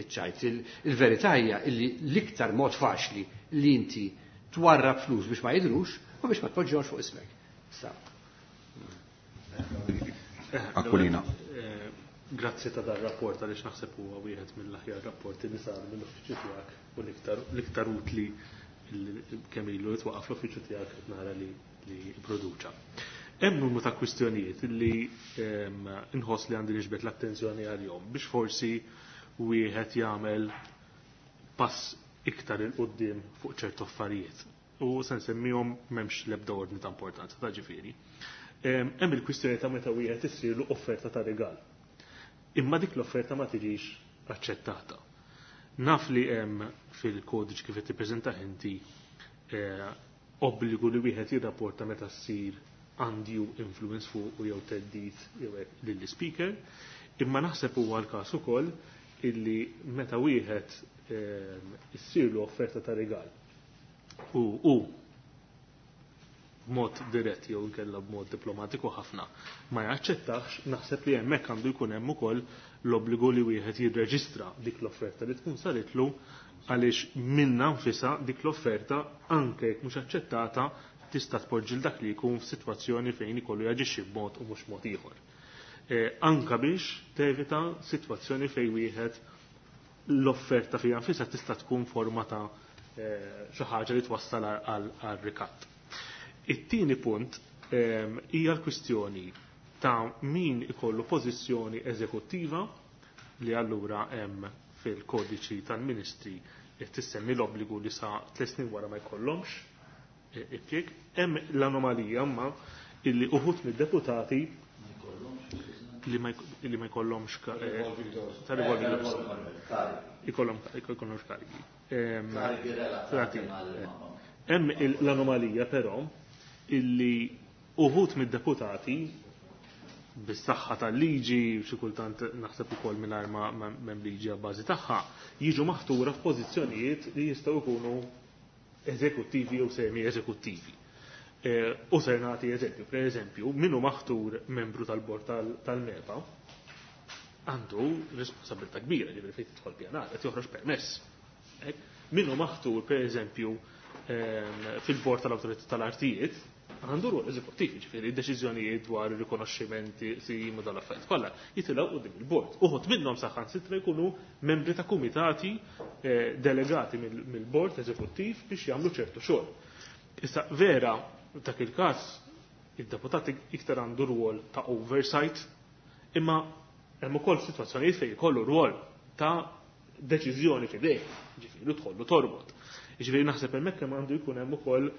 iċ-ċajt, il-verità hija li l-iktar mod faċli li inti twarrab flus biex ma jidhrux u biex ma tpoġġihomx fuq ismek. Aquilina. Grazzi ta' dar rapport għaliex naħseb huwa wieħed mill-aħjar rapporti li sar mill-uffiċċju tiegħek u l-iktar utli kemm ilu jitwaqaf l-uffiċċju tiegħek qed nara li produċa. Hemm numru ta' kwistjonijiet li nħoss li għandi niġbed l-attenzjoni għalihom biex forsi wieħed jagħmel pass iktar il quddiem fuq ċertu affarijiet. U se nsemmihom m'hemmx l-ebda ordni ta' importanza ta' ġifieri. Hemm il-kwistjoni ta' meta wieħed issirlu offerta ta' rigal. Imma dik l-offerta ma tiġix aċċettata. Naf li hemm fil-kodiċ kif qed tippreżentah inti obbligu li wieħed jirrapporta meta ssir undue influence fuq u jew theddid jew hekk lill-speaker, imma naħseb huwa l-każ ukoll illi meta wieħed issirlu offerta ta' rigal u u b'mod dirett jew inkella b'mod diplomatiku ħafna ma jaċċettax, naħseb li hemmhekk għandu jkun hemm ukoll l-obbligu li wieħed jirreġistra dik l-offerta li tkun saritlu għaliex minna nfisha dik l-offerta anke jekk mhux aċċettata tista' tpoġġi dak li jkun f'sitwazzjoni fejn ikollu jaġixxi b'mod u mhux mod ieħor. Anka biex tevita sitwazzjoni fejn wieħed l-offerta fiha nfisha tista' tkun forma ta' xi ħaġa li twassal għal rikatt. It-tieni punt hija l-kwistjoni ta' min ikollu pożizzjoni eżekuttiva li allura hemm fil-kodiċi tal-ministri tissemmi l-obbligu li sa tliet snin wara ma jkollhomx impjieg. Hemm l-anomalija imma illi uħud mid-deputati li ma jkollhomx ta' revolving doors. Ikollhom ikollhomx karigi. Hemm l-anomalija però illi uħud mid-deputati bis-saħħa tal-liġi, xi kultant naħseb ukoll mingħajr ma m'hemm liġi għal bażi tagħha, jiġu maħtura f'pożizzjonijiet li jistgħu jkunu eżekuttivi jew semi eżekuttivi. U ser nagħti eżempju, per eżempju, min hu maħtur membru tal-bord tal-MEPA għandu responsabilità kbira, ġifieri fejn tidħol pjanar, qed joħroġ permess. Min hu maħtur, per eżempju, fil-bord tal-awtorità tal-artijiet, għandu rwol eżekuttiv, ġifieri deċiżjonijiet dwar ir-rikonoxximenti sim u dal-affarijiet kollha jitilgħu quddiem il-bord. Uħud minnhom saħansitra jkunu membri ta' kumitati delegati mill-bord eżekuttiv biex jagħmlu ċertu xogħol. Issa vera dak il-każ id-deputat iktar għandu rwol ta' oversight, imma hemm ukoll sitwazzjonijiet fejn ikollu rwol ta' deċiżjoni f'idejh, ġifieri tħollu torbot. Ġifieri naħseb hemmhekk hemm għandu jkun hemm ukoll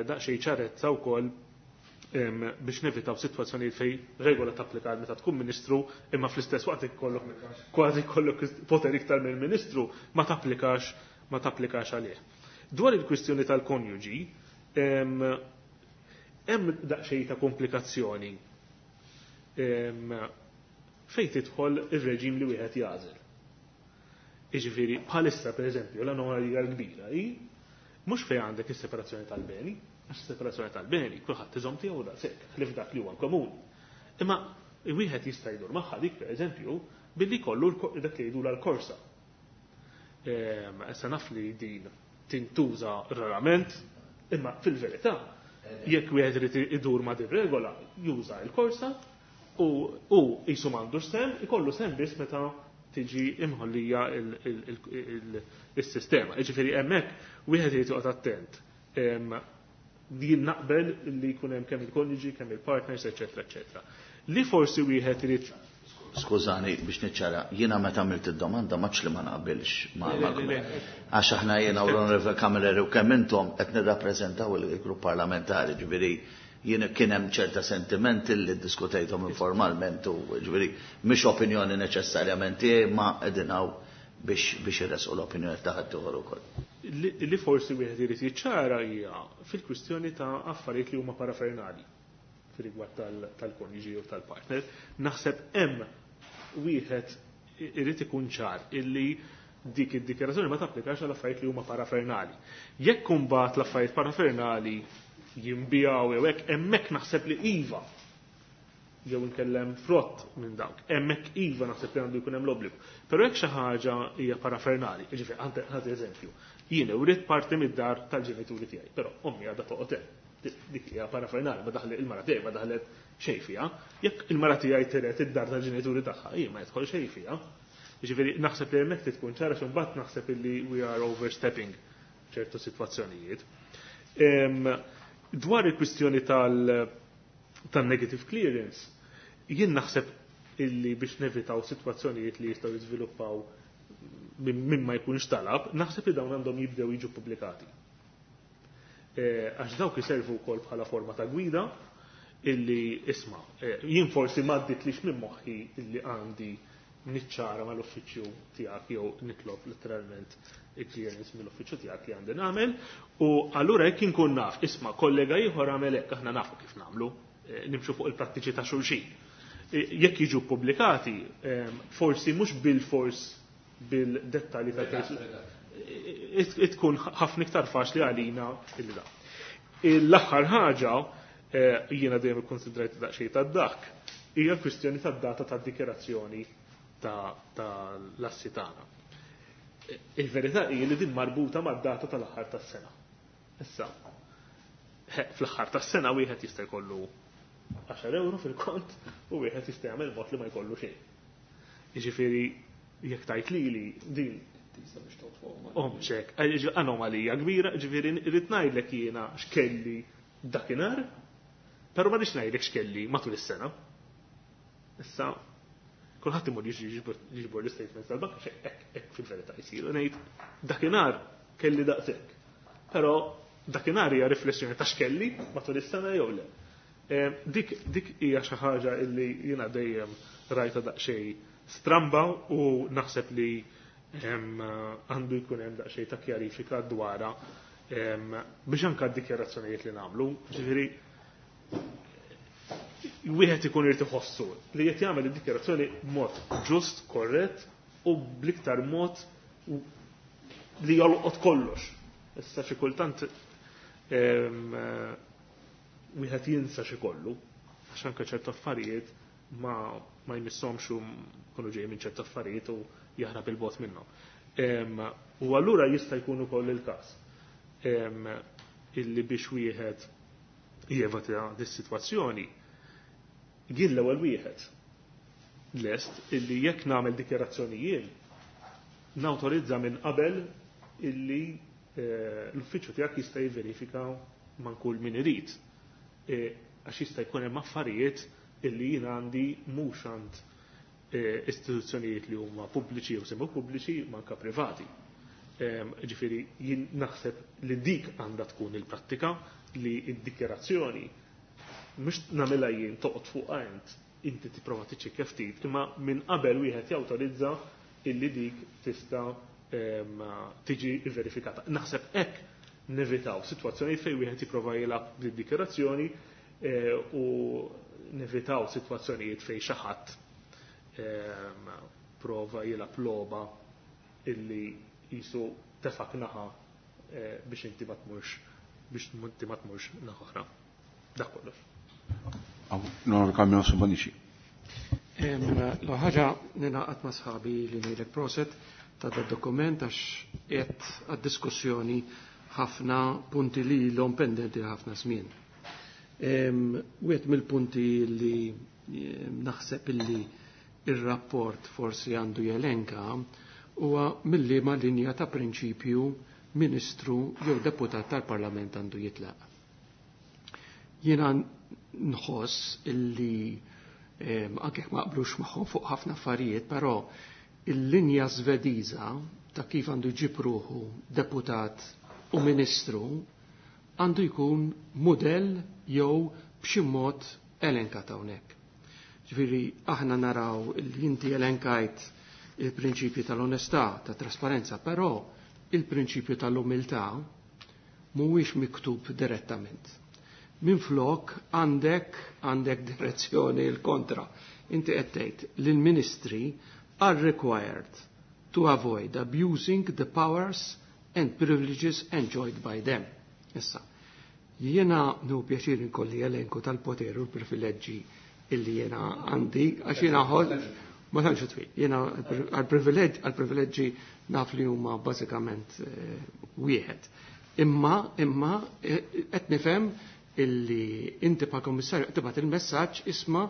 daqsxejn ċarezza wkoll biex nevitaw sitwazzjonijiet fejn regola tapplika meta tkun ministru imma fl-istess waqt ikollok kważi jkollok poter iktar mill-ministru ma tapplikax ma tapplikax għalih. Dwar il-kwistjoni tal-konjuġi, hemm daqsxejn ta' komplikazzjoni fejn tidħol ir-reġim li wieħed jagħżel. Jiġifieri bħalissa pereżempju l-anomalija l-kbira hi mhux fejn għandek is-separazzjoni tal-beni, għax separazzjoni tal-beni, kulħadd iżomm tiegħu daqshekk, ħlief dak li huwa komuni. Imma wieħed jista' jdur magħha dik pereżempju billi jkollu dak li jgħidulha l-korsa. Issa naf li din tintuża rarament, imma fil-verità jekk wieħed irid idur ma' din regola, juża l-korsa u u qisu m'għandux sem, ikollu sem biss meta tiġi imħollija il-sistema. Jiġifieri hemmhekk wieħed irid joqgħod attent. Din naqbel li jkun hemm kemm il-konjuġi, kemm il-partners, eċetera, eċetera. Li forsi wieħed irid Skużani biex niċċara, jiena meta għamilt id-domanda maċ li ma naqbilx ma' għax aħna jiena u l-Onorevole Camilleri u kemm intom qed nirrappreżentaw il-grupp parlamentari, ġifieri jien kien hemm ċerta sentimenti li ddiskutejthom informalment u ġifieri mhix opinjoni neċessarjament tiegħi ma qegħdin hawn biex biex irresqu l-opinjoni ta' ħaddieħor ukoll. Li forsi wieħed irid jiċċara hija fil-kwistjoni ta' affarijiet li huma parafernali fir-rigward tal-konjuġi u tal-partner. Naħseb hemm wieħed irid ikun ċar illi dik id-dikjarazzjoni ma tapplikax għal affarijiet li huma parafernali. Jekk imbagħad l-affarijiet parafernali jinbijaw jew hekk, hemmhekk naħseb li iva jew inkellem frott minn dawk. Hemmhekk iva naħseb li għandu jkun hemm l-obbligu. Però jekk xi ħaġa hija parafernali, jiġifieri ħadd eżempju, jien urid parti mid-dar tal-ġenituri tiegħi, però ommi għadha toqgħod hemm. Dik hija parafernali, ma daħlet il-mara tiegħi ma daħlet xejn fiha. Jekk il-mara tiegħi tiret id-dar tal-ġenituri tagħha, hi ma jidħol xejn fiha. Jiġifieri naħseb li hemmhekk tkun ċara xi mbagħad naħseb illi we are overstepping ċertu sitwazzjonijiet. Dwar il-kwistjoni tal-negative clearance, jien naħseb illi biex nevitaw sitwazzjonijiet li jistgħu jiżviluppaw minn ma jkunx talab, naħseb li dawn għandhom jibdew jiġu pubblikati. Għax dawk iservu wkoll bħala forma ta' gwida illi isma' jien forsi m'għadditlix minn moħħi illi għandi niċċara mal-uffiċċju tiegħek jew nitlob letteralment il-clearance mill-uffiċċju tiegħek li għandi nagħmel u allura jekk inkun naf isma' kollega ieħor għamel hekk aħna nafu kif nagħmlu, nimxu fuq il-prattiċi ta' xulxin. Jekk jiġu pubblikati, forsi mhux bil-fors bil-dettalji ta' tkun ħafna iktar faċli għalina illi da. L-aħħar ħaġa jiena dejjem ikkonsidrajt daqsxejn tad-dak hija l-kwistjoni tad-data tad-dikjerazzjoni ta' l-assi tagħna. Il-verità hija li din marbuta mad-data tal-aħħar tas-sena. Issa, fl-aħħar tas-sena wieħed jista' jkollu għaxar euro fil-kont u wieħed jista' jagħmel mod li ma jkollu xejn. Jiġifieri jekk tajt lili din Omċek, anomalija kbira, ġifieri rrid ngħidlek jiena x'kelli dakinhar, però ma rridx ngħidlek x'kelli matul is-sena. Issa, kulħadd imur jiġbor l-statements tal-bank, għax hekk hekk fil-verità jsiru ngħid dakinhar kelli daqshekk. Però dakinhar hija riflessjoni ta' x'kelli matul is-sena jew le. Dik dik hija xi ħaġa illi jiena dejjem rajta daqsxejn stramba u naħseb li għandu jkun hemm daqsxejn ta' kjarifika dwarha biex anke d-dikjarazzjonijiet li nagħmlu, ġifieri wieħed ikun irid iħossu li qed jagħmel id-dikjarazzjoni b'mod ġust, korrett u bl-iktar mod li jolqot kollox. Issa xi kultant wieħed jinsa xi kollu, għax anke ċertu affarijiet ma ma jmisshomx u kunu ġej minn ċertu affarijiet u jaħrab il-bot minnhom. U allura jista' jkun ukoll il-każ illi biex wieħed jevita dis-sitwazzjoni jien l-ewwel wieħed lest illi jekk nagħmel dikjarazzjonijiet nawtorizza minn qabel illi l-uffiċċju tiegħek jista' jivverifika man kull min irid. Għax jista' jkun hemm affarijiet illi jien għandi mhux għand istituzzjonijiet li huma pubbliċi jew semi pubbliċi manka privati. Ġifieri jien naħseb li dik għandha tkun il-prattika li d-dikjarazzjoni Mhux nagħmilha jien toqgħod fuqha int, inti tipprova tiċċekkja ftit, imma minn qabel wieħed jawtorizza illi dik tista' tiġi verifikata. Naħseb hekk nevitaw sitwazzjonijiet fejn wieħed jipprova jilgħab bid-dikjarazzjoni u nevitaw sitwazzjonijiet fejn xi ħadd prova jilgħab logħba illi jisu tefak naħa biex inti ma tmurx biex inti ma tmurx naħa oħra. Dak kollox. Onorevole Carmelo Bonnici. L-ħaġa ninaqat ma' sħabi li ngħidlek proset ta' da dokument għax qed għad-diskussjoni ħafna punti li l-om pendenti ħafna żmien. Wieħed mill-punti li naħseb illi ir-rapport forsi għandu jelenka huwa mill-liema linja ta' prinċipju ministru jew deputat tal-Parlament għandu jitlaq. Jiena nħoss illi anke jekk ma qblux magħhom fuq ħafna affarijiet, però il-linja Svediża ta' kif għandu jġib ruħu deputat u ministru għandu jkun mudell jew b'xi mod elenkat hawnhekk. Ġifieri aħna naraw li inti elenkajt il-prinċipju tal-onestà, ta' trasparenza, però il-prinċipju tal-umiltà mhuwiex miktub direttament. Minflok għandek għandek direzzjoni l-kontra. Inti qed tgħid li l-ministri are required to avoid abusing the powers and privileges enjoyed by them. Issa, jiena nu pjaċir inkolli elenku tal-poter u l-privileġġi illi jiena għandi, għax jiena ħol, ma tantx twil, jiena għal-privileġġi naf li huma bażikament wieħed. Imma, imma, qed nifhem illi inti pa' kommissarju tibgħat il-messaġġ isma'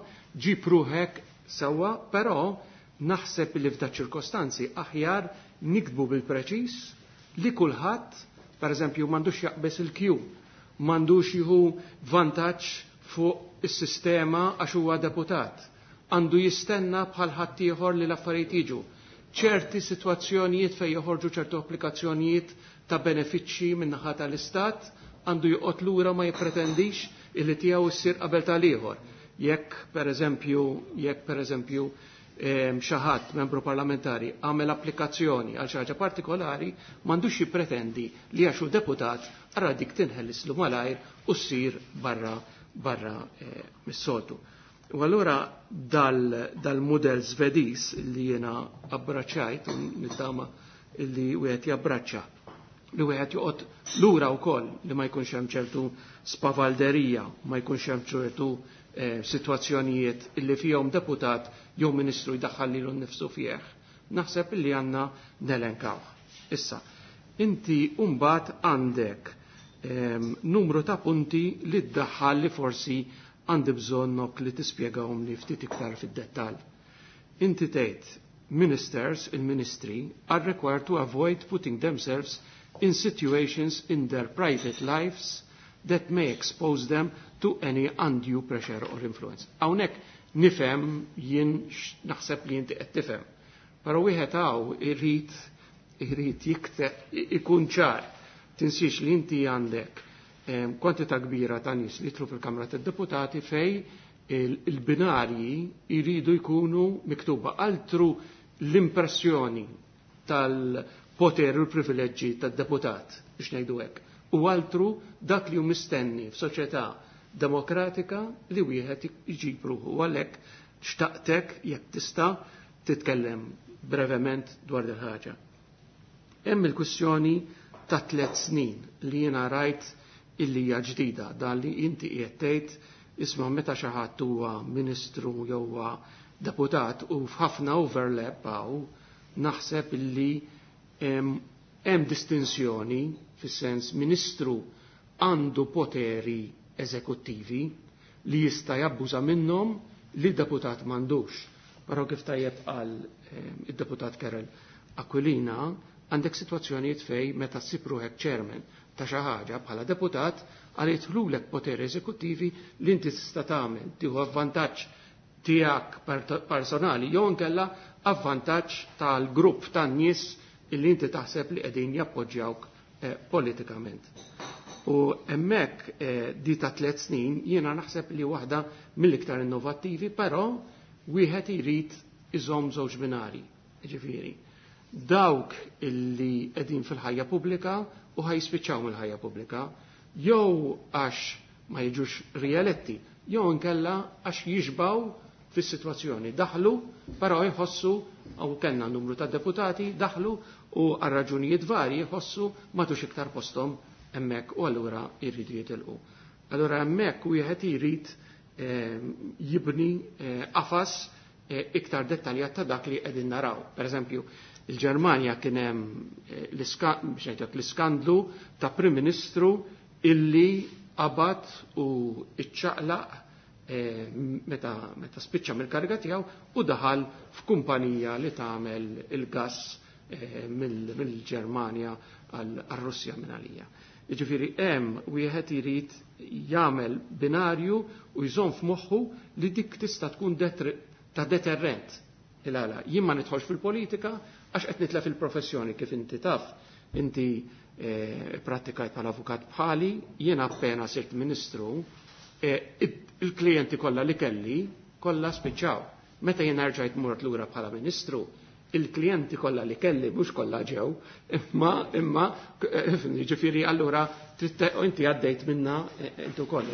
ġib ruħek sewwa, però naħseb li f'da ċirkostanzi aħjar nikbu bil-preċis li kulħadd, pereżempju, m'għandux jaqbes il-kju, m'għandux jieħu vantaġġ fuq is-sistema għax huwa deputat, għandu jistenna bħal ħaddieħor li l-affarijiet jiġu. Ċerti sitwazzjonijiet fejn joħorġu ċertu applikazzjonijiet ta' benefiċċji min-naħa tal-istat għandu joqgħod lura ma jippretendix illi tiegħu ssir qabel tal-ieħor. Jekk pereżempju, jekk pereżempju xi ħadd membru parlamentari għamel applikazzjoni għal xi ħaġa partikolari, m'għandux jippretendi li għax hu deputat ara dik tinħellislu malajr u ssir barra barra mis-soltu. U allura dal-mudell Svediż li jiena abbraċċajt u nittama li wieħed jabbraċċa li wieħed joqgħod lura wkoll li ma jkunx hemm ċertu spavalderija, ma jkunx hemm ċertu eh, sitwazzjonijiet illi fihom deputat jew ministru jdaħħal lilu nnifsu fih. Naħseb illi għandna nelenkaw. Issa, inti mbagħad għandek eh, numru ta' punti li ddaħħal li forsi għandi bżonnok li tispjegahom li ftit iktar fid-dettall. Inti tgħid ministers, il-ministri, are required to avoid putting themselves in situations in their private lives that may expose them to any undue pressure or influence. Hawnhekk nifhem jien naħseb li inti qed tifhem. Però wieħed hawn irid irid jikteb ikun ċar. Tinsiex li inti għandek kwantità kbira ta' nies li jidħlu fil-Kamra tad-Deputati fej il-binarji jridu jkunu miktuba. Altru l-impressjoni tal-poter u l-privileġġi tad-deputat, biex ngħidu hekk. U altru dak li hu mistenni f'soċjetà demokratika li wieħed iġib ruħu. U għalhekk xtaqtek jekk tista' titkellem brevement dwar din ħaġa. Hemm il-kwistjoni ta' tliet snin li jiena rajt illi hija ġdida, dan li inti qiegħed tgħid isma' meta xi ħadd huwa ministru jew huwa deputat u f'ħafna overlap hawn naħseb illi hemm distinzjoni fis-sens ministru għandu poteri eżekuttivi li jista' jabbuża minnhom li deputat m'għandux. Però kif tajjeb qal id-deputat Karel Aquilina, għandek sitwazzjonijiet fej meta ssib ruħek chairman ta' xi ħaġa bħala deputat għal jidħlulek poteri eżekuttivi li inti tista' tagħmel tieħu avvantaġġ tiegħek personali jew inkella avvantaġġ tal-grupp tan-nies illi inti taħseb li qegħdin jappoġġjawk eh, politikament. U hemmhekk eh, di ta' tliet snin jiena naħseb li waħda mill-iktar innovattivi, però wieħed irid iżomm żewġ binari. Ġifieri, dawk illi qegħdin fil-ħajja pubblika u ħajspiċċaw mill-ħajja pubblika, jew għax ma jiġux rieletti, jew inkella għax jixbaw fis-sitwazzjoni. Daħlu, però jħossu, u kellna numru ta' deputati, daħlu u għal raġunijiet varji jħossu m'għadux iktar posthom hemmhekk u allura jridu jitilqu. Allura hemmhekk wieħed irid eh, jibni eh, qafas eh, iktar dettaljat ta' dak li qegħdin naraw. Per eżempju, il-Ġermanja kien hemm l-iskandlu ta' Prim Ministru illi qabad u iċċaqlaq meta, meta spiċċa mill-kariga tiegħu u daħal f'kumpanija li tagħmel il-gass mill-Ġermanja għal-Russja minn għalija. Jiġifieri hemm wieħed irid jagħmel binarju u jżomm f'moħħu li dik tista' tkun ta' deterrent. Il-għala, jien ma nidħolx fil-politika għax qed nitlef il-professjoni kif inti taf, inti eh, prattikajt bħala avukat bħali, jiena appena sirt ministru, eh, il-klijenti kollha li kelli kollha spiċċaw. Meta jiena rġajt mort lura bħala ministru, il-klijenti kollha li kelli mhux kollha ġew, imma imma ġifieri allura inti għaddejt minna inti wkoll.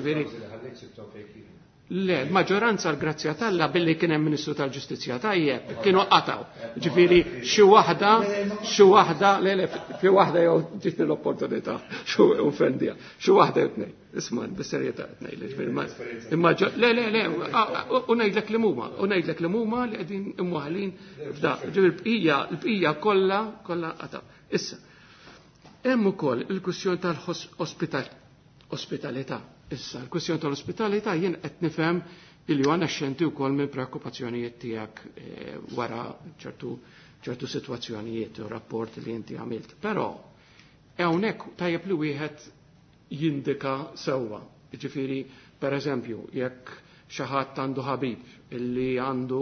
Le, maġġoranza l-grazzja t'Alla billi kien hemm Ministru tal-Ġustizzja tajjeb, kienu qataw. Ġifieri xi waħda, xi waħda, le le, fi waħda jew ġitni l-opportunità, xi offendija, xi waħda jew tnejn. Isma' bis-serjetà qed ngħidlek, ġifieri imma le le le, u ngħidlek li huma, u ngħidlek li huma li qegħdin imwaħlin f'da. Ġifieri l-bqija, l-bqija kollha kollha qataw. Issa, hemm ukoll il-kwistjoni tal-ospitalità. Issa, l-kwistjoni tal-ospitalità jien qed nifhem illi għandna xenti wkoll minn preokkupazzjonijiet tiegħek wara ċertu ċertu sitwazzjonijiet u rapport li inti għamilt. Però hawnhekk tajjeb li wieħed jindika sewwa. Jiġifieri, pereżempju, jekk xi ħadd għandu ħabib illi għandu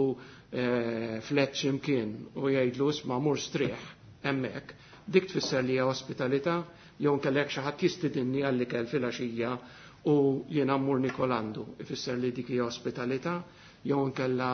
flet x'imkien u jgħidlu isma' mur strieħ hemmhekk, dik tfisser li hija ospitalità, jew inkella jekk xi ħadd jistidinni għall-ikel filgħaxija u jiena mmur nikol għandu, ifisser li dik hija ospitalità, jew inkella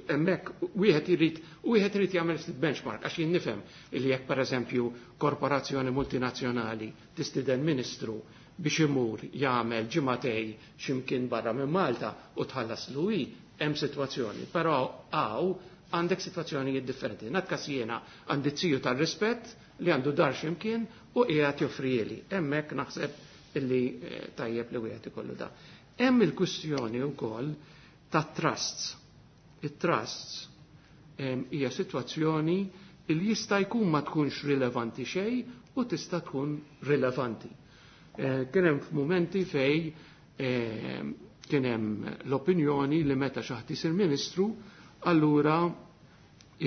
hemmhekk wieħed irid wieħed irid jagħmel ftit benchmark għax jien nifhem li jekk pereżempju korporazzjoni multinazzjonali tistiden ministru biex imur jagħmel ġimagħtej x'imkien barra minn Malta u tħallas l-U I, hemm sitwazzjoni, però hawn għandek sitwazzjonijiet differenti. Natkas jiena għandi ziju tal-rispett li għandu dar x'imkien u qiegħed joffrieli. Hemmhekk naħseb illi tajjeb li wieħed ikollu da. Hemm il-kwistjoni wkoll ta' trusts. It-trusts hija sitwazzjoni li jista' jkun ma tkunx rilevanti xejn u tista' tkun rilevanti. Kien hemm f'mumenti fej kien hemm l-opinjoni li meta xi ħadd isir ministru, allura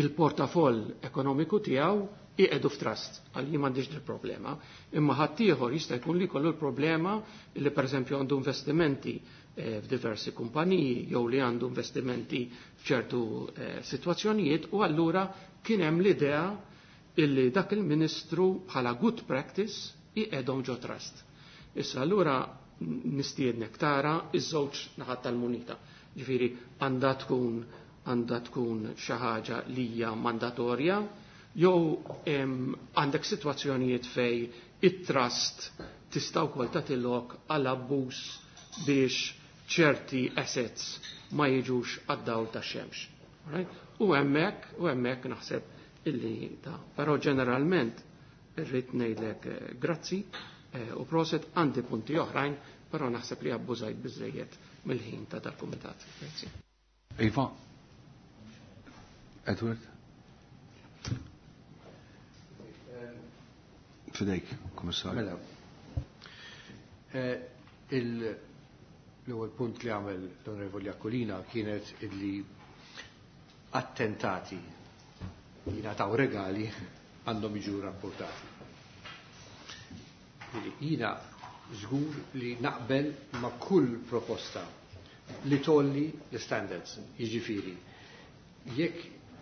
il-portafoll ekonomiku tiegħu iqedu f'trust, għal jien m'għandix il problema. Imma ħaddieħor jista' jkun li jkollu l-problema li pereżempju għandu investimenti f'diversi kumpaniji jew li għandu investimenti f'ċertu sitwazzjonijiet u allura kien hemm l-idea illi dak il-ministru bħala good practice iqedhom ġo trust. Issa allura nistiednek tara iż-żewġ naħat tal-munita. Ġifieri għandha tkun għandha tkun xi ħaġa li hija mandatorja jew għandek sitwazzjonijiet fej it-trust tista' wkoll tagħti lok għal abbuż biex ċerti assets ma jiġux għad-dawl tax-xemx. Right? U hemmhekk u hemmhekk naħseb illi ta' però ġeneralment irrid ngħidlek grazzi u proset għandi punti oħrajn, però naħseb li abbużajt biżejjed mill-ħin ta' dal-kumitat. Grazzi. Iva. Edward. Fidejk, Komissarju. Mela. L-ewwel punt li għamel l-Onorevoli Aquilina kienet illi attentati jingħataw regali għandhom jiġu rapportati. Jiena żgur li naqbel ma' kull proposta li tolli l-standards, jiġifieri. Jekk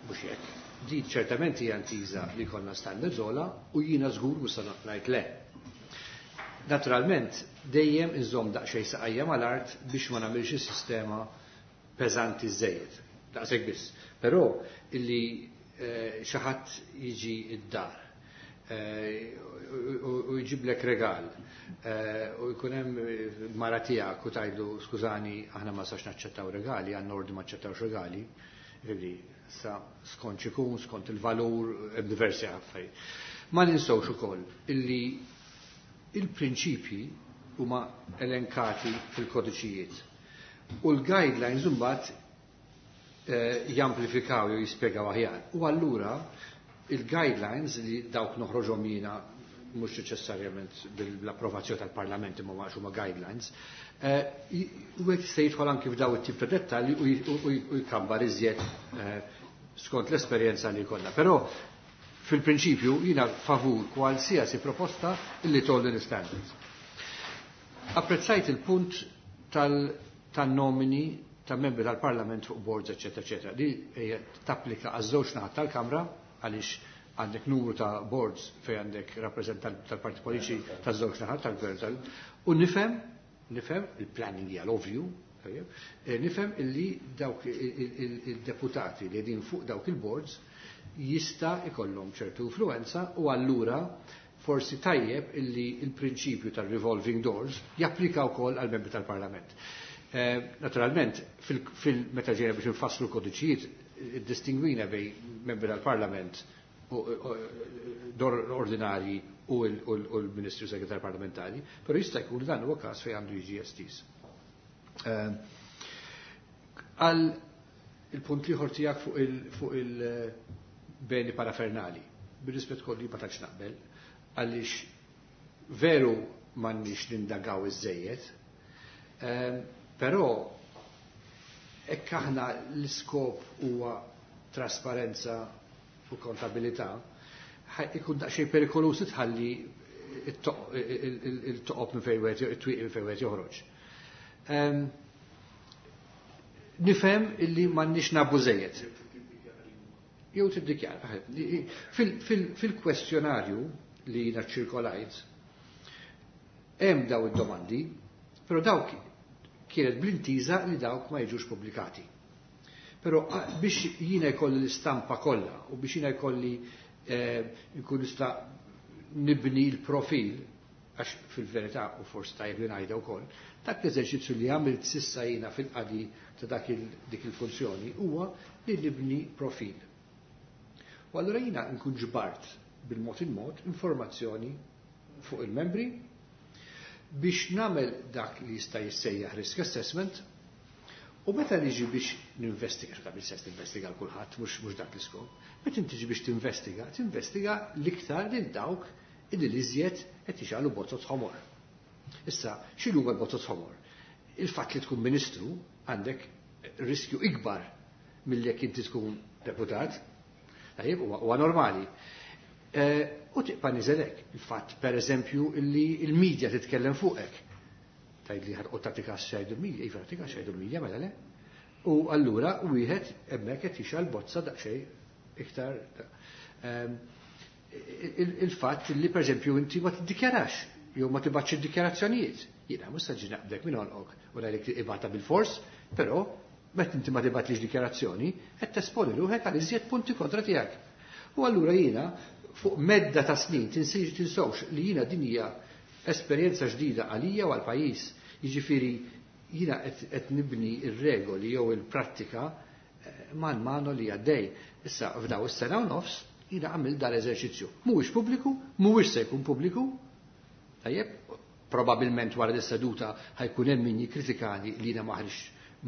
mhux jekk, di ċertament hija ntiża li konna standards ola u jiena żgur mhux se ngħid le. Naturalment, dejjem inżomm daqsxejn saqajja mal-art biex ma nagħmilx is-sistema peżanti żejjed. Daqshekk biss. Però illi eh, xi ħadd jiġi d-dar eh, u jġiblek regal eh, u jkun hemm mara tiegħek u tgħidlu skużani aħna ma sax naċċettaw regali, għandna ordni ma naċċettawx regali, jiġifieri sa skont x'ikun, skont il-valur, hemm diversi affarijiet. Ma ninsewx ukoll illi il-prinċipji huma elenkati fil-kodiċijiet. U l-guidelines imbagħad eh, jamplifikaw jew jispjegaw aħjar. U allura il-guidelines li dawk noħroġhom jiena mhux neċessarjament bil-approvazzjoni tal-Parlament imma ma huma guidelines, eh, u hekk se jidħol anki f'daw it-tip ta' dettalji u jkambar iżjed eh, skont l-esperjenza li jkollna. Però fil-prinċipju jiena favur kwalsiasi proposta illi tgħolli l-standards. Apprezzajt il-punt tal-nomini ta' membri tal-Parlament fuq boards, eccetera, eccetera. Di tapplika għaż-żewġ naħat tal-Kamra għaliex għandek numru ta' boards fej għandek rappresentant tal-parti politiċi taż-żewġ naħat tal-gvern tal u nifhem, nifhem il-planning hija l-ovvju, nifhem illi dawk il-deputati li qegħdin fuq dawk il-boards jista' ikollhom ċertu influenza u allura forsi tajjeb illi il-prinċipju tal-revolving doors japplika wkoll għal membri tal-Parlament. Eh, naturalment, fil-meta ġejna biex nfasslu kodiċijiet, distingwina bej membri tal-Parlament dor ordinari u l-Ministru Segretar Parlamentari, però jista' jkun dan huwa każ fejn għandu jiġi estiż. Eh, għal il-punt liħor tiegħek fuq il-beni parafernali, bir-rispett kolli ma tantx naqbel, għaliex veru m'għandniex nindagaw iż-żejjed, eh, però hekk aħna l-iskop huwa trasparenza u kontabilità, ikun daqsxejn perikoluż tħalli il-toqob minn fejn wieħed it-twieq minn fejn wieħed joħroġ. Nifhem illi m'għandniex nabu żejjed. Jew tiddikjara. Fil-kwestjonarju li jiena ċirkolajt, hemm daw id-domandi, però dawk kienet bl-intiża li dawk ma jiġux pubblikati. Però biex jiena jkolli l-istampa kollha u biex jiena jkolli nkun nista' nibni l-profil, għax fil-verità u forsi tajjeb li ngħidha wkoll, dak l-eżerċizzju li għamilt sissa jiena fil-qadi ta' dak dik il-funzjoni huwa li nibni profil. U allura jiena nkun ġbart bil-mod il-mod informazzjoni fuq il-membri biex nagħmel dak li jista' jissejjaħ risk assessment u meta niġi biex ninvestiga, x'ta' bil-sens tinvestiga l kulħadd, mhux mhux dak l-iskop, meta inti tiġi biex tinvestiga, tinvestiga l-iktar lil dawk illi l-iżjed qed jixgħalu bozzot ħomor. Issa, x'inhu huma l-bozzot ħomor? Il-fatt li tkun ministru għandek riskju ikbar milli jekk inti tkun deputat, tajjeb huwa normali. U tibqa' niżelek il-fatt pereżempju illi il-medja titkellem fuqek. Tgħid li ħarqu tagħtik xejdu l-medja, iva tagħtik xejdu l-medja mela le. U allura wieħed hemmhekk qed jixgħal bozza daqsxejn iktar il-fatt li pereżempju inti ma tiddikjarax jew ma tibgħatx id-dikjarazzjonijiet. Jiena mhux se ġi naqbdek minn għonqok u ngħidlek ibata bil-fors, però meta inti ma tibgħatlix dikjarazzjoni qed tesponi ruħek għal iżjed punti kontra tiegħek. U allura jiena fuq medda ta' snin tinsewx li jiena din hija esperjenza ġdida għalija u għall-pajjiż. Jiġifieri jiena qed nibni r-regoli jew il-prattika man mano li għaddej. Issa f'daw is-sena u nofs jiena għamil dal-eżerċizzju. Mhuwiex pubbliku, mhuwiex se jkun pubbliku. Tajjeb, probabilment wara dis-seduta ħajkun hemm min jikkritikani li jiena ma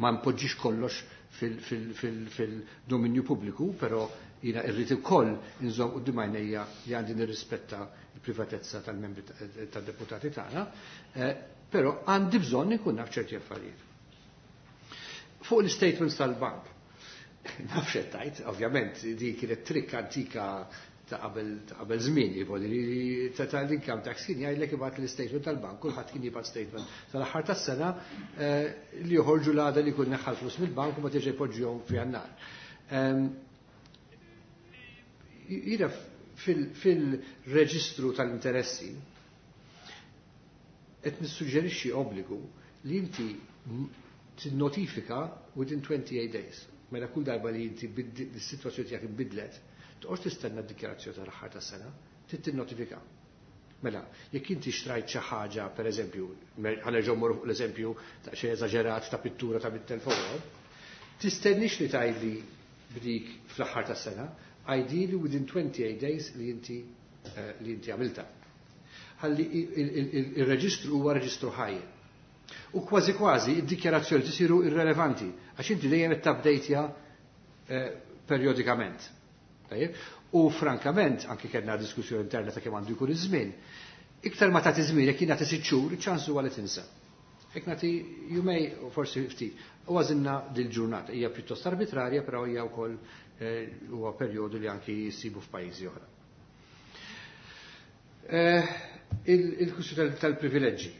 ma npoġġix kollox fil-dominju pubbliku, però jiena irrid ukoll inżomm quddiem għajnejja li għandi nirrispetta l-privatezza tal-membri tad-deputati tagħna, però għandi bżonn inkun naf ċerti affarijiet. Fuq l-statements tal-bank, naf x'qed ovvjament, di kienet trikk antika ta' qabel żmien, li ta' l-income tax kien jgħidlek ibgħat l-statement tal-bank, kulħadd kien jibgħat statement tal-aħħar tas-sena li joħorġu l-għada li jkun neħħal flus mill-bank u ma terġa' jpoġġihom fi għannar. Jiena fil-reġistru tal-interessi Qed nissuġġerixxi obbligu li inti tinnotifika within twenty-eight days. Mela kull darba li inti s-sitwazzjoni tiegħek inbidlet, toqgħodx tistenna d-dikjarazzjoni tal-aħħar tas-sena, trid tinnotifika. Mela, jekk inti xtrajt xi ħaġa, pereżempju, ħa nerġgħu mmorru fuq l-eżempju ta' xi eżaġerat ta' pittura ta' mitt elf euro, tistennix li tgħidli b'dik fl-aħħar tas-sena, ideally within twenty-eight days li inti li inti għamilta. Ħalli il-reġistru huwa reġistru ħaj. U kważi kważi id-dikjarazzjoni tisiru irrelevanti għax inti dejjem qed tabdejtja periodikament. Tajjeb? U frankament, anki kellna diskussjoni interna ta' kemm għandu jkun iż-żmien, iktar ma tagħti żmien jekk jien nagħti sitt xhur, iċ-ċans huwa li tinsa. Jekk nagħti jumej u forsi ftit. U għażilna dil-ġurnata hija pjuttost arbitrarja, però hija wkoll huwa perjodu li anki jsibu f'pajjiżi oħra. Il-kwistjoni tal-privileġġi.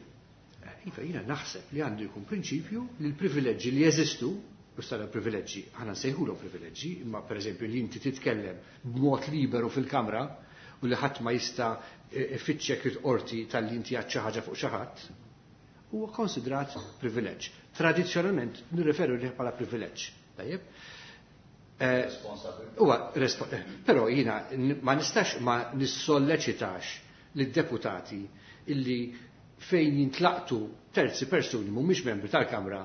Iva, jiena naħseb li għandu jkun prinċipju li l-privileġġi li jeżistu, u sara privileġġi, aħna nsejħulhom privileġġi, imma pereżempju li inti titkellem b'mod liberu fil-kamra u li ħadd ma jista' ifittxek il-qorti tal-li inti għad xi ħaġa fuq xi ħadd, huwa konsidrat privileġġ. Tradizzjonalment nirreferu lih bħala privileġġ. Tajjeb? Huwa però jiena ma nistax ma nissolleċitax lid-deputati illi fejn jintlaqtu terzi persuni mhumiex membri tal-Kamra,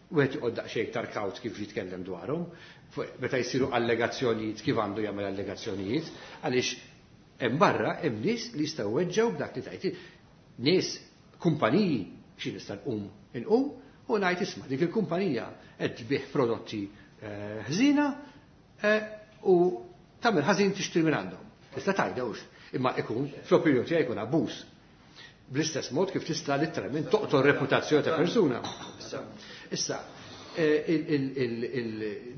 wieħed joqgħod daqsxejn iktar kawt kif jitkellem dwarhom, meta jsiru allegazzjonijiet kif għandu jagħmel allegazzjonijiet, għaliex hemm barra hemm nies li jistgħu weġġew b'dak li tajt. Nies, kumpaniji, xi nista' nqum inqum u ngħid isma' dik il-kumpanija qed tbih prodotti ħżina u tagħmel ħażin tixtri minn għandhom. Tista' tgħidha hux, imma ikun fl-opinjoni tiegħi jkun abbuż. Bl-istess mod kif tista' letteralment toqtol reputazzjoni ta' persuna. Issa,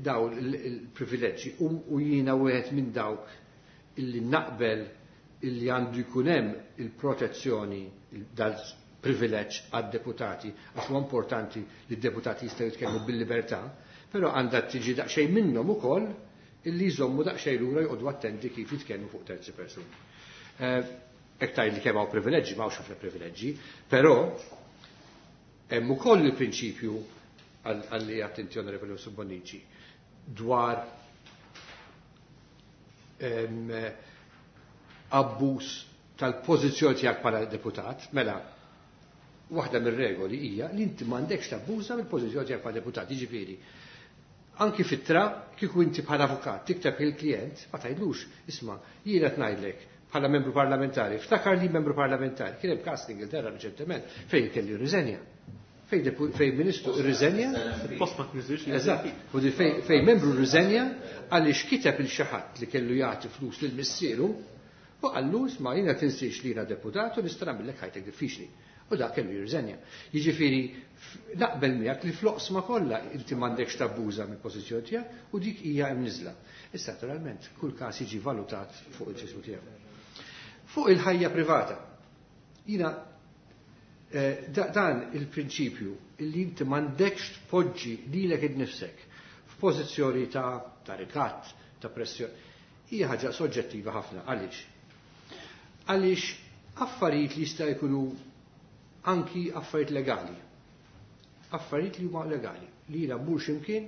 daw il-privileġġi u jiena wieħed minn dawk illi naqbel illi għandu jkun hemm il-protezzjoni dal-privileġġ għad-deputati, għax huwa importanti li d-deputati jistgħu jitkellmu bil-libertà, però għandha tiġi daqsxejn minnhom ukoll illi jżommu daqsxejn lura joqogħdu attenti kif jitkellmu fuq terzi persuni. Hekk tgħid li kemm hawn privileġġi, m'hawnx ħafna privileġġi, però hemm ukoll il-prinċipju għalli attenti Onorevoli Bonnici dwar abbuż tal-pożizzjoni tiegħek bħala deputat, mela waħda mir-regoli hija li inti m'għandekx tabbuża mill-pożizzjoni tiegħek bħala deputat, jiġifieri anki fit-tra kieku inti bħala avukat tikteb il-klient ma tgħidlux isma' jiena qed ngħidlek bħala membru parlamentari, ftakar li membru parlamentari, kien hemm każ l-Ingilterra reċentement fejn kelli rriżenja. Fejn ministru rriżenja. Post ma tniżilx. Eżatt. Fejn membru rriżenja għaliex kiteb il xi ħadd li kellu jagħti flus lil missieru u qallu isma' jiena tinsiex li jiena deputat u nista' nagħmellek ħajtek diffiċli. U dak kellu jirriżenja. Jiġifieri naqbel miegħek li fl-oqsma kollha inti m'għandekx tabbuża mill-pożizzjoni tiegħek u dik hija hemm niżla. Issa naturalment kull każ jiġi valutat fuq il-ġismu tiegħu. Fuq il-ħajja privata, jiena dan il-prinċipju illi inti m'għandekx tpoġġi lilek innifsek f'pożizzjoni ta' ta' rikatt, ta' pressjoni, hija ħaġa soġġettiva ħafna. Għaliex? Għaliex affarijiet li jista' jkunu anki affarijiet legali. Affarijiet li huma legali, li jiena mmur x'imkien,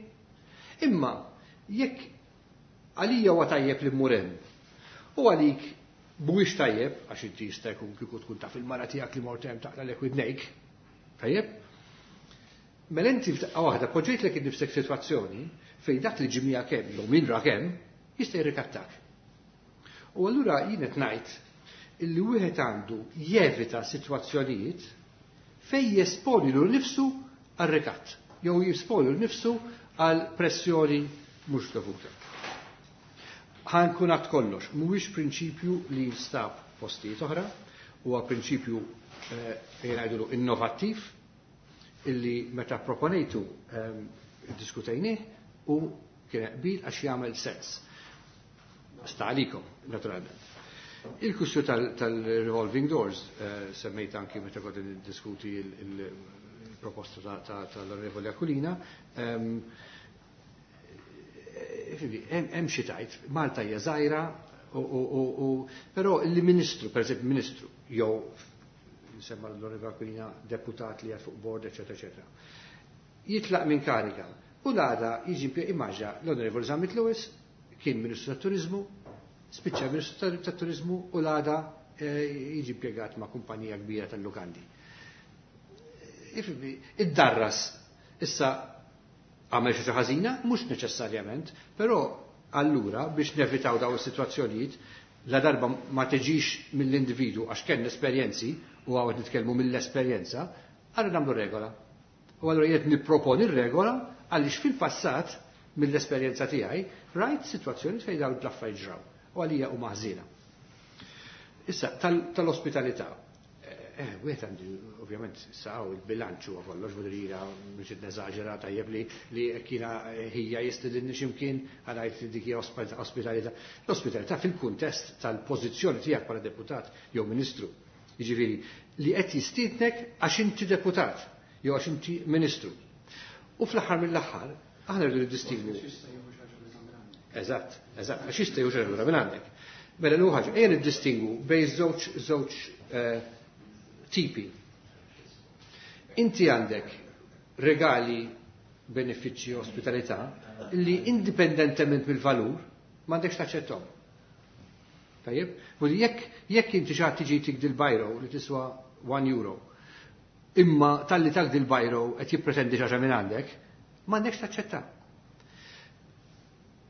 imma jekk għalija huwa tajjeb li mmur hemm u għalik mhuwiex tajjeb, għax inti jista' jkun kieku tkun taf il-mara tiegħek li mort hemm taqralek widnejk, tajjeb? Mela inti f'daqqa waħda poġġejtlek innifsek sitwazzjoni fejn dak li ġie miegħek hemm jew min rak hemm jista' jirrikattak. U allura jien qed ngħid illi wieħed għandu jevita sitwazzjonijiet fejn jesponi lil nifsu għal rikatt jew jesponi lil nifsu għal pressjoni mhux dovuta. Ħankun għad kollox, mhuwiex prinċipju li jinstab postijiet oħra, huwa prinċipju fejn ngħidulu innovattiv illi meta proponejtu diskutejnieh u kien qbil għax jagħmel sens. Sta għalikom, naturalment. Il-kwistjoni tal-revolving doors semmejt anki meta kont niddiskuti il-proposta tal-Onorevoli Aquilina. Hemm xi tgħid, Malta hija żgħira, però il-Ministru, pereżempju Ministru, jew Semma l-Onorevoli Aquilina, deputat li fuq board, eccetera, eccetera. Jitlaq minn kariga u l-għada jiġi, immaġina l-Onorevoli Zammit Lewis kien Ministru tat-Turizmu, spiċċa Ministru tat-Turizmu u l-għada jiġi impjegat ma' kumpanija kbira tal-lukandi. Id-darras issa għamel xi ħażina, mhux neċessarjament, però allura biex nevitaw daw is-sitwazzjonijiet la darba ma tiġix mill-individu għax kellna esperjenzi u għawet nitkellmu mill-esperjenza, għallu nagħmlu regola. U allura jien nipproponi r-regola għaliex fil-passat mill-esperjenza tiegħi rajt sitwazzjoni fejn dawn l-affarijiet ġraw u għalija huma ħżiena. Issa tal-ospitalità. Eh, wieħed għandi ovvjament saw il-bilanċ huwa kollox vuol biex neżaġera tajjeb li li kiena ħija jistedinni x'imkien għalajt li dik hija ospitalità. L-ospitalità fil-kuntest tal-pożizzjoni tiegħek bħala deputat jew ministru. Jiġifieri li qed jistiednek għax inti deputat jew għax inti ministru. U fl-aħħar mill-aħħar aħna rridu niddistingwu. Eżatt, eżatt, għax jista' jieħu xi ħaġa minn għandek. Mela l ħaġa, ejja niddistingwu bejn żewġ żewġ tipi. Inti għandek regali, benefiċċji, ospitalità li indipendentement mill-valur m'għandekx taċċettom. Tajjeb? U jekk jekk inti xi ħadd tiġi tik dil-bajro li tiswa one euro, imma talli tak dil-bajro qed jippretendi xi ħaġa minn għandek, m'għandekx taċċetta.